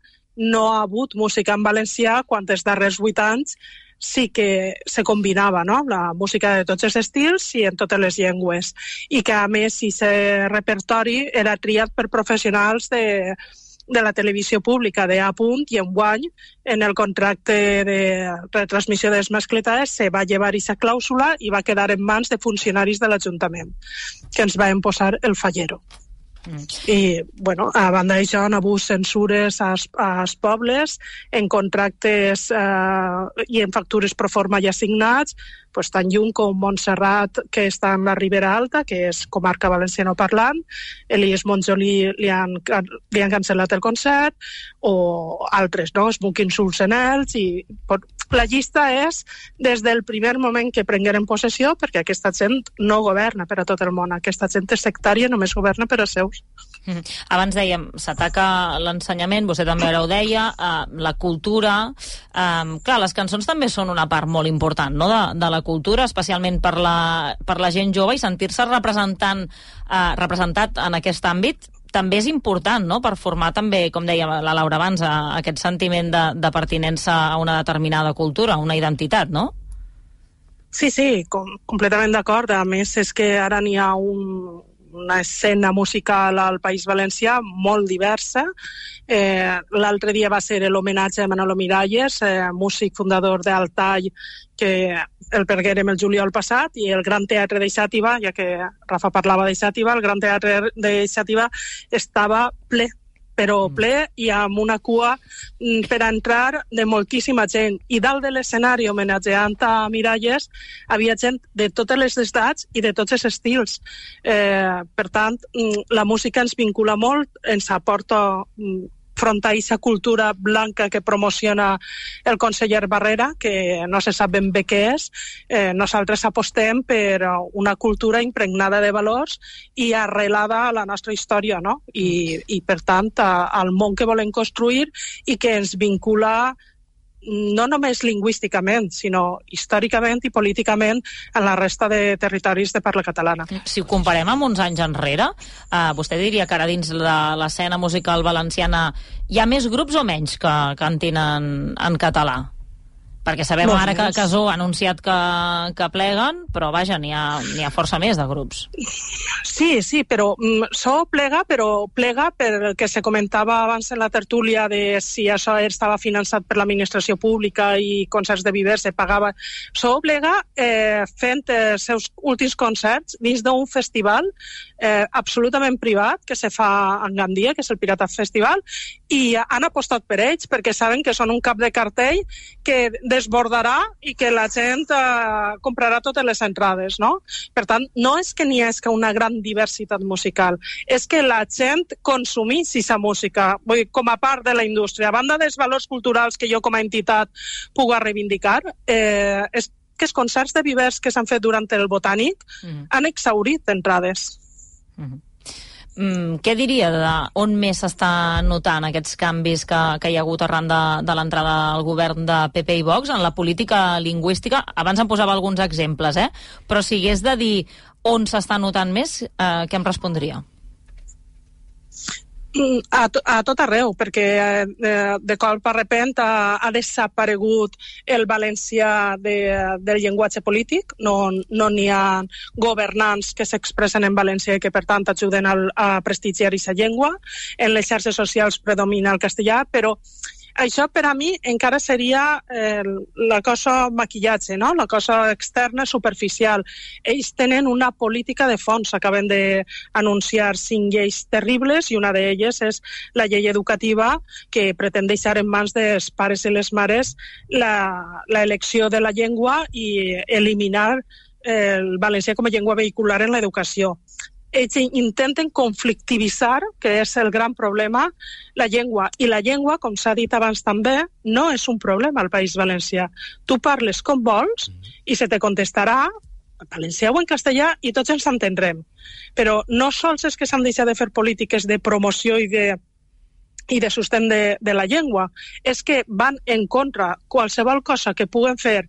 no ha hagut música en valencià quan els darrers vuit anys sí que se combinava, no?, la música de tots els estils i en totes les llengües. I que, a més, aquest repertori era triat per professionals de, de la televisió pública de A punt, i enguany, en el contracte de retransmissió de les mascletades, se va llevar aquesta clàusula i va quedar en mans de funcionaris de l'Ajuntament, que ens van posar el fallero. Mm. I, bueno, a banda d'això, han hagut censures als, als pobles en contractes eh, i en factures pro forma ja signats, pues, tan lluny com Montserrat, que està en la Ribera Alta, que és comarca valenciano parlant, Elies Montjolí li han, li han cancel·lat el concert, o altres, no?, Smoking Solsenels, i la llista és des del primer moment que prengueren possessió, perquè aquesta gent no governa per a tot el món, aquesta gent és sectària, només governa per a seus. Mm. Abans dèiem, s'ataca l'ensenyament, vostè també ara ho deia, eh, la cultura, eh, clar, les cançons també són una part molt important, no?, de, de la cultura, especialment per la, per la gent jove, i sentir-se representant, eh, representat en aquest àmbit també és important, no?, per formar també, com deia la Laura abans, a, aquest sentiment de, de pertinença a una determinada cultura, una identitat, no? Sí, sí, com, completament d'acord. A més, és que ara n'hi ha un, una escena musical al País Valencià molt diversa. Eh, L'altre dia va ser l'homenatge a Manolo Miralles, eh, músic fundador d'Altall, que el perguérem el juliol passat, i el Gran Teatre de Xàtiva, ja que Rafa parlava de Xàtiva, el Gran Teatre de Xàtiva estava ple, però ple i amb una cua per a entrar de moltíssima gent. I dalt de l'escenari, homenatjant a Miralles, havia gent de totes les edats i de tots els estils. Eh, per tant, la música ens vincula molt, ens aporta front a aquesta cultura blanca que promociona el conseller Barrera, que no se sap ben bé què és. Eh, nosaltres apostem per una cultura impregnada de valors i arrelada a la nostra història, no? I, i per tant, a, al món que volem construir i que ens vincula no només lingüísticament, sinó històricament i políticament en la resta de territoris de parla catalana. Si ho comparem amb uns anys enrere, eh, vostè diria que ara dins l'escena musical valenciana hi ha més grups o menys que cantin en, en català? Perquè sabem Molts ara que més. Casó ha anunciat que, que pleguen, però vaja, n'hi ha, n'hi ha força més de grups. Sí, sí, però mm, això plega, però plega per el que se comentava abans en la tertúlia de si això estava finançat per l'administració pública i concerts de Viver se pagava. Això plega eh, fent els seus últims concerts dins d'un festival eh, absolutament privat que se fa en Gandia, que és el Pirata Festival, i han apostat per ells perquè saben que són un cap de cartell que desbordarà i que la gent eh, comprarà totes les entrades, no? Per tant, no és que n'hi hagi una gran diversitat musical, és que la gent consumís aquesta música, vull dir, com a part de la indústria. A banda dels valors culturals que jo com a entitat puc reivindicar, eh, és que els concerts de Vivers que s'han fet durant el Botànic mm-hmm. han exhaurit entrades. Mm-hmm. Mm, què diria de on més s'està notant aquests canvis que, que hi ha hagut arran de, de l'entrada al govern de P P i Vox en la política lingüística? Abans em posava alguns exemples, eh? Però si hagués de dir on s'està notant més, eh, què em respondria? A, to, a tot arreu, perquè eh, de cop a repent ha, ha desaparegut el valencià de, del llenguatge polític, no no n'hi ha governants que s'expressen en valencià i que per tant ajuden al, a prestigiar aquesta llengua. En les xarxes socials predomina el castellà, però això per a mi encara seria eh, la cosa maquillatge, no? La cosa externa, superficial. Ells tenen una política de fons, acaben d'anunciar cinc lleis terribles i una d'elles és la llei educativa que pretén deixar en mans dels pares i les mares l'elecció de la llengua i eliminar eh, el valencià com a llengua vehicular en l'educació. Ells intenten conflictivitzar, que és el gran problema, la llengua. I la llengua, com s'ha dit abans també, no és un problema al País Valencià. Tu parles com vols i se te contestarà en valencià o en castellà i tots ens entendrem. Però no sols és que s'han deixat de fer polítiques de promoció i de i de sostén de, de la llengua, és que van en contra qualsevol cosa que puguen fer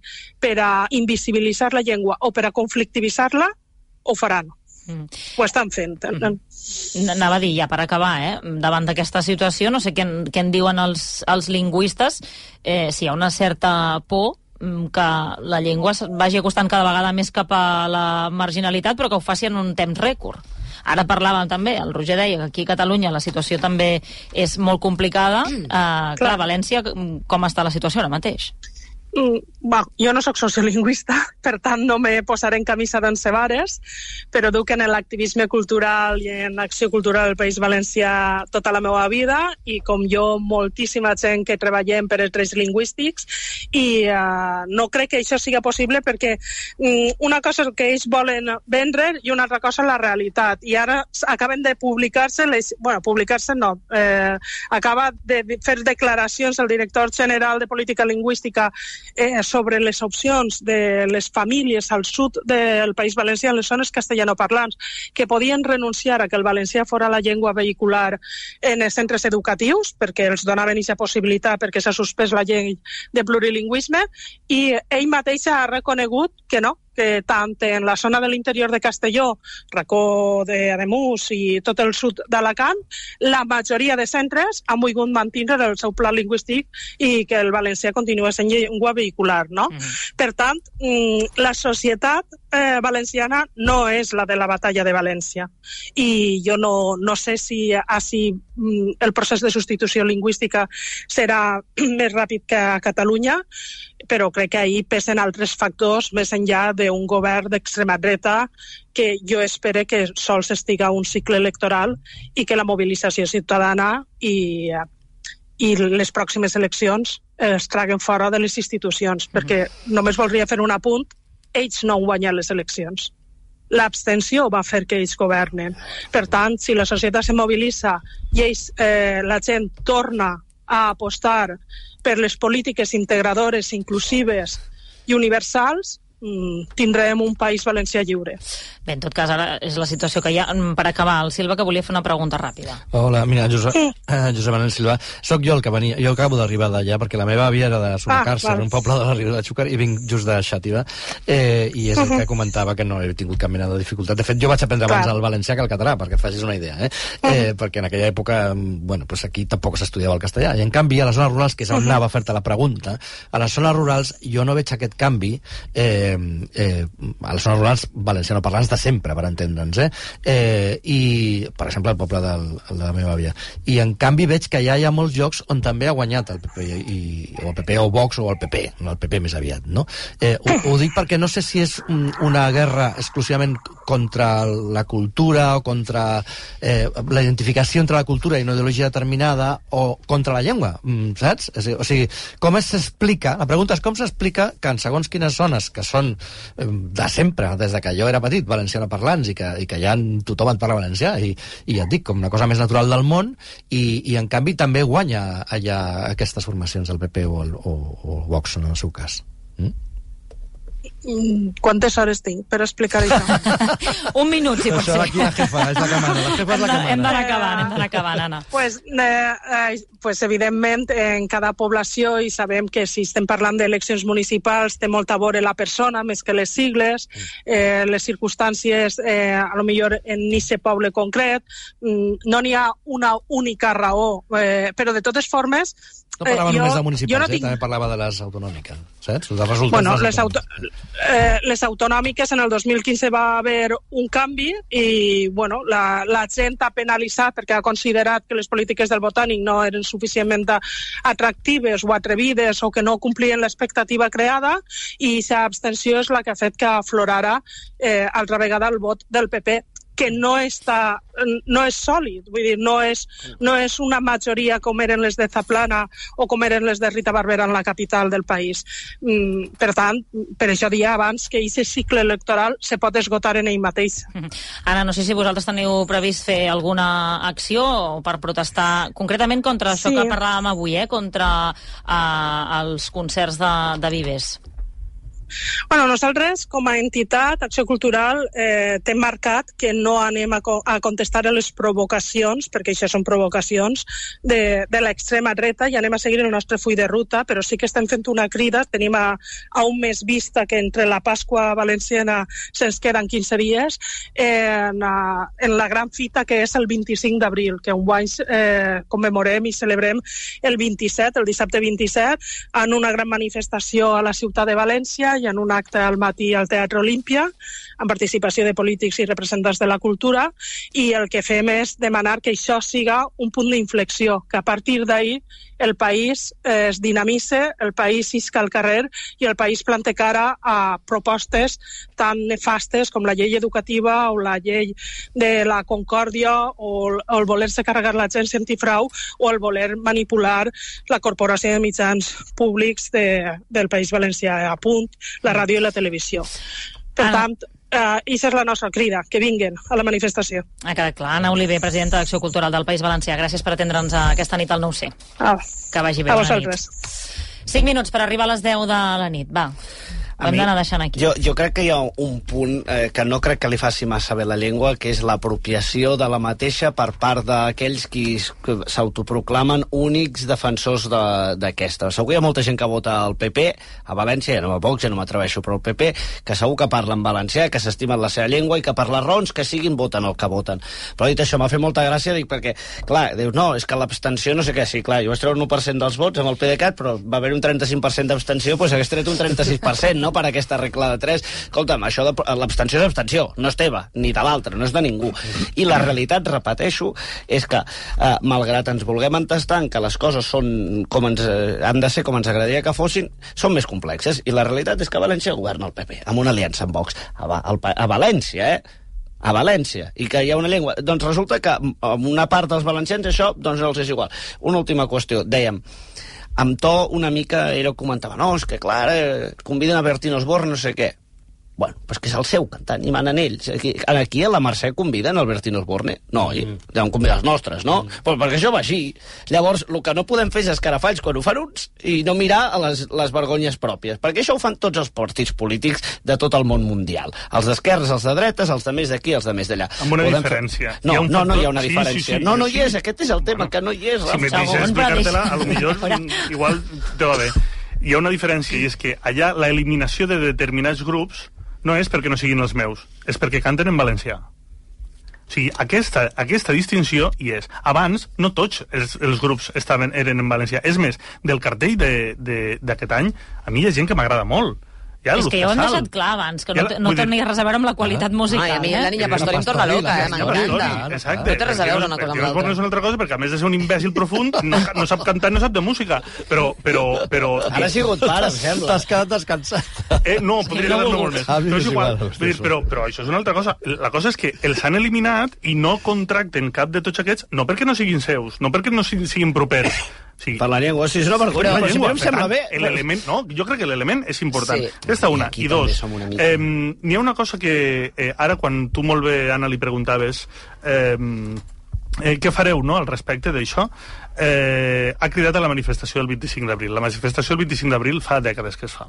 per a invisibilitzar la llengua o per a conflictivitzar-la, ho faran. Mm. Ho estan fent. Mm. Anava a dir, ja per acabar, eh? Davant d'aquesta situació, no sé què en, què en diuen els, els lingüistes, eh, si hi ha una certa por que la llengua vagi acostant cada vegada més cap a la marginalitat, però que ho faci en un temps rècord. Ara parlàvem també, el Roger deia que aquí a Catalunya la situació també és molt complicada. Eh, clar, clar, a València, com està la situació ara mateix? Mm, bueno, jo no sóc sociolingüista, per tant no me posaré en camisa d'onze vares, però duc en l'activisme cultural i en l'acció cultural del País Valencià tota la meva vida i com jo moltíssima gent que treballem per els drets lingüístics i uh, no crec que això sigui possible perquè um, una cosa que ells volen vendre i una altra cosa la realitat i ara acaben de publicar-se les, bueno, publicar-se no eh, acaba de fer declaracions el director general de Política Lingüística Eh, sobre les opcions de les famílies al sud del País Valencià, en les zones castellanoparlants, que podien renunciar a que el valencià fora la llengua vehicular en els centres educatius, perquè els donaven aquesta possibilitat, perquè s'ha suspès la llei de plurilingüisme, i ell mateix ha reconegut que no, que tant en la zona de l'interior de Castelló, Racó d'Ademús i tot el sud d'Alacant, la majoria de centres han volgut mantenir el seu pla lingüístic i que el valencià continua sent llengua vehicular, no? Mm-hmm. Per tant, la societat eh, valenciana no és la de la batalla de València. I jo no, no sé si, si el procés de substitució lingüística serà més ràpid que a Catalunya, però crec que ahir pesen altres factors més enllà d'un govern d'extrema dreta que jo espero que sols estiga un cicle electoral i que la mobilització ciutadana i, i les pròximes eleccions es traguen fora de les institucions, mm-hmm. perquè només voldria fer un apunt, ells no han guanyat les eleccions. L'abstenció va fer que ells governen. Per tant, si la societat se mobilitza i ells, eh, la gent torna a apostar per les polítiques integradores, inclusives i universals, tindrem un País Valencià lliure. Bé, en tot cas, ara és la situació que hi ha. Per acabar, el Silva, que volia fer una pregunta ràpida. Hola, mira, Josep, eh, Josep Manel Silva. Soc jo el que venia, jo acabo d'arribar d'allà, perquè la meva àvia era de Sumacàrcer, ah, un poble de la Ribera de Xúquer, i vinc just de Xàtiva, eh, i és el que comentava que no he tingut cap mena de dificultat. De fet, jo vaig aprendre abans el valencià que el català, perquè et facis una idea, eh? eh perquè en aquella època, bueno, pues aquí tampoc s'estudiava el castellà, i en canvi a les zones rurals, que és on anava a fer-te la pregunta, a les zones rurals jo no veig aquest canvi, eh, eh, a les zones rurals valencianoparlants de sempre, per entendre'ns, eh? eh i, per exemple, el poble del, de la meva àvia. I en canvi veig que ja hi ha molts llocs on també ha guanyat el P P, i, o el P P o Vox o el P P, no el P P més aviat, no? Eh, ho, ho dic perquè no sé si és una guerra exclusivament contra la cultura o contra eh, la identificació entre la cultura i una ideologia determinada o contra la llengua, saps? O sigui, com s'explica, la pregunta és com s'explica que en segons quines zones, que són eh, de sempre, des de que jo era petit, valencianoparlants, i que, i que ja tothom en parla valencià, i, i ja et dic, com una cosa més natural del món, i, i en canvi també guanya allà aquestes formacions del P P o el, o, o el Vox, en el seu cas. Mm? Quantes hores tinc per explicar això? Un minut, si pot ser. Això aquí la jefa, és la que mana. La jefa és la que mana. Hem d'anar acabant, hem d'anar acabant, Anna. Pues, eh, eh, pues, evidentment, en cada població, i sabem que si estem parlant d'eleccions municipals té molt a veure la persona, més que les sigles, eh, les circumstàncies, eh, a lo millor en aquest poble concret, no n'hi ha una única raó, eh, però de totes formes... No parlava eh, només jo, de municipals, no eh? tinc... També parlava de les autonòmiques, saps? De resultats bueno, de les, les, auto... eh, les autonòmiques en el dos mil quinze va haver un canvi i bueno, la, la gent ha penalitzat perquè ha considerat que les polítiques del Botànic no eren suficientment atractives o atrevides o que no complien l'expectativa creada, i aquesta abstenció és la que ha fet que aflorara eh, altra vegada el vot del P P, que no està, no és sòlid, vull dir, no és, no és una majoria com eren les de Zaplana o com eren les de Rita Barberà en la capital del país. Mm, per tant, per això dia abans que aquest cicle electoral se pot esgotar en ell mateix. Anna, no sé si vosaltres teniu previst fer alguna acció per protestar concretament contra això sí. que parlàvem avui, eh? contra eh, els concerts de, de Vives. Bueno, nosaltres, com a entitat, Acció Cultural, eh, t'hem marcat que no anem a, co a contestar a les provocacions, perquè això són provocacions, de, de l'extrema dreta, i anem a seguir el nostre full de ruta, però sí que estem fent una crida. Tenim a, a un mes vista que entre la Pasqua valenciana se'ns queden quinze dies, eh, en, a, en la gran fita que és el vint-i-cinc d'abril, que enguany eh, commemorem i celebrem el vint-i-set, el dissabte vint-i-set, en una gran manifestació a la ciutat de València i en un acte al matí al Teatre Olímpia, amb participació de polítics i representants de la cultura, i el que fem és demanar que això siga un punt d'inflexió, que a partir d'ahir el país eh, es dinamitze, el país isca al carrer i el país plante cara a propostes tan nefastes com la llei educativa o la llei de la concòrdia o el, o el voler-se carregar la gent antifrau o el voler manipular la corporació de mitjans públics de, del País Valencià, a punt, la ràdio i la televisió. Per Anna. tant, Uh, i això és la nostra crida, que vinguen a la manifestació. Ha quedat clar. Anna Oliver, presidenta d'Acció Cultural del País Valencià. Gràcies per atendre'ns aquesta nit al nou C. Ah, que vagi bé. A vosaltres. Cinc minuts per arribar a les deu de la nit. Va. Ho hem d'anar deixant aquí. Jo, jo crec que hi ha un punt eh, que no crec que li faci massa bé la llengua, que és l'apropiació de la mateixa per part d'aquells qui s'autoproclamen únics defensors d'aquesta. De, segur que hi ha molta gent que vota al P P, a València, ja no a Vox, ja no m'atreveixo, però al P P, que segur que parlen valencià, que s'estimen la seva llengua i que per les raons que siguin voten el que voten. Però dit això, m'ha fet molta gràcia, dic, perquè, clar, dius, no, és que l'abstenció no sé què, sí, clar, jo vaig treure un u per cent dels vots amb el PDeCAT, però va haver un trenta-cinc per cent d'abstenció, doncs hagués tret un trenta-sis per cent, no?, per aquesta regla de tres. Escolta'm, això de l'abstenció és abstenció, no és teva, ni de l'altre, no és de ningú. I la realitat, repeteixo, és que, eh, malgrat ens vulguem entestar que les coses són com ens, eh, han de ser com ens agradaria que fossin, són més complexes. I la realitat és que a València governa el P P, amb una aliança amb Vox. A, Va a, a València, eh? A València, i que hi ha una llengua. Doncs resulta que a una part dels valencians això doncs no els és igual. Una última qüestió, dèiem, amb to una mica era comentava, no, és que clar, eh, conviden a Bertín Osborne, no sé què. Bueno, pues que és el seu cantant, i manen ells. Aquí, aquí a la Mercè conviden Albertino Osborne? No, oi? Mm. Deuen convidar els nostres, no? Mm. Però perquè això va així. Llavors, el que no podem fer és escarafalls quan ho fan uns i no mirar a les, les vergonyes pròpies, perquè això ho fan tots els partits polítics de tot el món mundial. Els d'esquerres, els de dretes, els de més d'aquí, els de més d'allà. Amb una podem diferència. Fer... No, hi no, no hi ha una sí, diferència. Sí, sí, no, no sí. hi és, aquest és el tema, bueno, que no hi és. Si me deixes explicar-te-la, a lo millor igual te va bé. Hi ha una diferència, i és que allà la eliminació de determinats grups no és perquè no siguin els meus, és perquè canten en valencià. O sigui, aquesta, aquesta distinció hi és. Abans, no tots els, els grups estaven, eren en valencià. És més, del cartell d'aquest any, a mi hi ha gent que m'agrada molt. Ja, és que ja ho hem deixat clar abans, que no, ja, no tenia res a veure amb la qualitat musical. Ai, a mi eh? la Niña Pastori em torna loca, eh? M'encanta. Exacte. No té res a veure una cosa amb l'altra. No és una altra cosa, perquè a més de ser un imbècil profund, no, no sap cantar, no sap de música. Però... però, però Ara ha sigut pare, em sembla. T'has quedat descansat. Eh, no, podria quedar-me molt més. Però és igual. Dir, però, però això és una altra cosa. La cosa és que els han eliminat i no contracten cap de tots aquests, no perquè no siguin seus, no perquè no siguin propers, sí. Per la llengua, si és una vergonya, però, però si a mi em sembla bé. No, jo crec que l'element és important. Sí. Aquesta una. I dos, eh, n'hi ha una cosa que eh, ara, quan tu molt bé, Anna, li preguntaves eh, eh, què fareu, no?, al respecte d'això, eh, ha cridat a la manifestació del vint-i-cinc d'abril. La manifestació del vint-i-cinc d'abril fa dècades que es fa.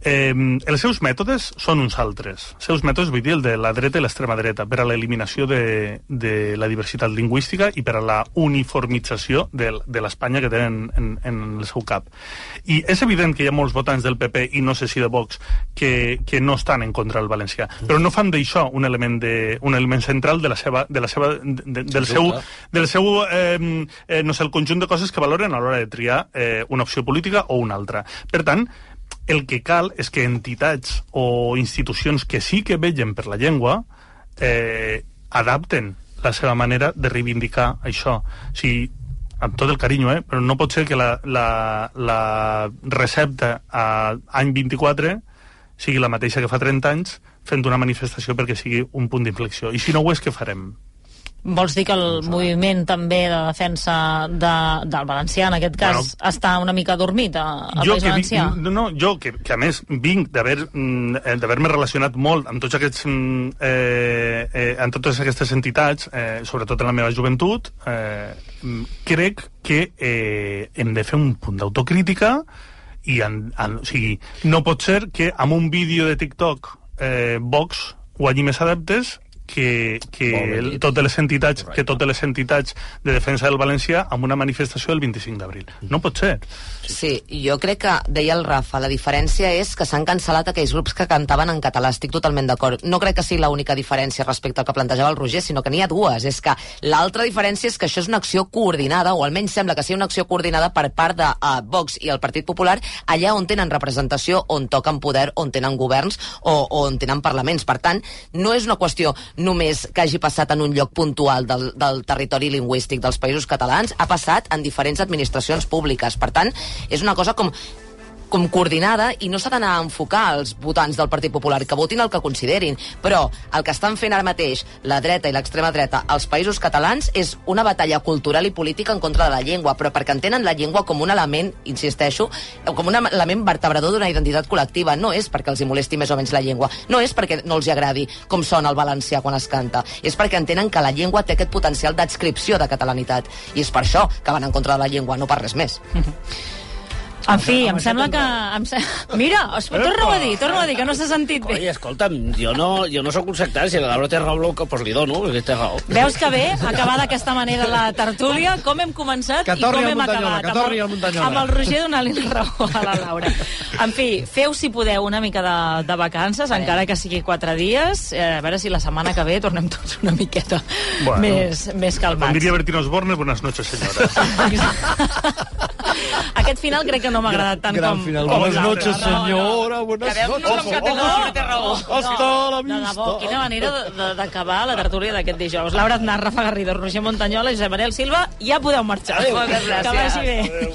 Eh, els seus mètodes són uns altres. Els seus mètodes, vull dir, el de la dreta i l'extrema dreta, per a l'eliminació de, de la diversitat lingüística i per a la uniformització de, de l'Espanya que tenen en, en el seu cap. I és evident que hi ha molts votants del P P i no sé si de Vox que, que no estan en contra del valencià, però no fan d'això un element, de, un element central de la seva, de la seva, de, del seu, del seu eh, eh, no sé, el conjunt de coses que valoren a l'hora de triar eh, una opció política o una altra. Per tant, el que cal és que entitats o institucions que sí que vetllen per la llengua eh, adapten la seva manera de reivindicar això. O sigui, amb tot el carinyo, eh? Però no pot ser que la, la, la recepta a any vint-i-quatre sigui la mateixa que fa trenta anys, fent una manifestació perquè sigui un punt d'inflexió. I si no ho és, què farem? Vols dir que el moviment també de defensa de, del valencià, en aquest cas, bueno, està una mica dormit al País Valencià? No, no, jo, que, que a més vinc d'haver-me relacionat molt amb tots aquests eh, eh, amb totes aquestes entitats, eh, sobretot en la meva joventut, eh, crec que eh, hem de fer un punt d'autocrítica i en, en, o sigui, no pot ser que amb un vídeo de TikTok eh, Vox guanyi més adeptes que, que totes les entitats que totes les entitats de defensa del valencià amb una manifestació el vint-i-cinc d'abril. No pot ser. Sí, jo crec que, deia el Rafa, la diferència és que s'han cancel·lat aquells grups que cantaven en català. Estic totalment d'acord. No crec que sigui l'única diferència respecte al que plantejava el Roger, sinó que n'hi ha dues. És que l'altra diferència és que això és una acció coordinada, o almenys sembla que sigui una acció coordinada per part de uh, Vox i el Partit Popular, allà on tenen representació, on toquen poder, on tenen governs o, o on tenen parlaments. Per tant, no és una qüestió només que hagi passat en un lloc puntual del, del territori lingüístic dels països catalans, ha passat en diferents administracions públiques. Per tant, és una cosa com com coordinada, i no s'ha d'anar a enfocar als votants del Partit Popular, que votin el que considerin, però el que estan fent ara mateix la dreta i l'extrema dreta als països catalans és una batalla cultural i política en contra de la llengua, però perquè entenen la llengua com un element, insisteixo, com un element vertebrador d'una identitat col·lectiva. No és perquè els hi molesti més o menys la llengua, no és perquè no els hi agradi com sona el valencià quan es canta, és perquè entenen que la llengua té aquest potencial d'adscripció de catalanitat, i és per això que van en contra de la llengua, no per res més. En fi, em sembla que... Em se... Mira, es... torna-ho a dir, torna-ho a dir, que no s'ha sentit bé. Oi, escolta'm, jo no, jo no soc un sectari, si la Laura té raó, doncs li dono, perquè té raó. Veus que bé, acabar d'aquesta manera la tertúlia, com hem començat i com hem acabat. Que torni al Muntanyola. Amb el Roger donant-li la raó a la Laura. En fi, feu, si podeu, una mica de, de vacances, encara que sigui quatre dies, eh, a veure si la setmana que ve tornem tots una miqueta bueno, més, més calmats. Com diria Bertino Osborne, buenas noches, senyora. Aquest final crec que no m'ha agradat tant Gran com... final. com Buenas l'altre. noches, senyora, buenas noches. Ojo, ojo, Hasta la de vista. debò, quina manera de- de- d'acabar la tertúlia d'aquest dijous. Laura Aznar, Rafa Garrido, Roger Montanyola, Josep Manel Silva, ja podeu marxar. Adéu. Que vagi bé.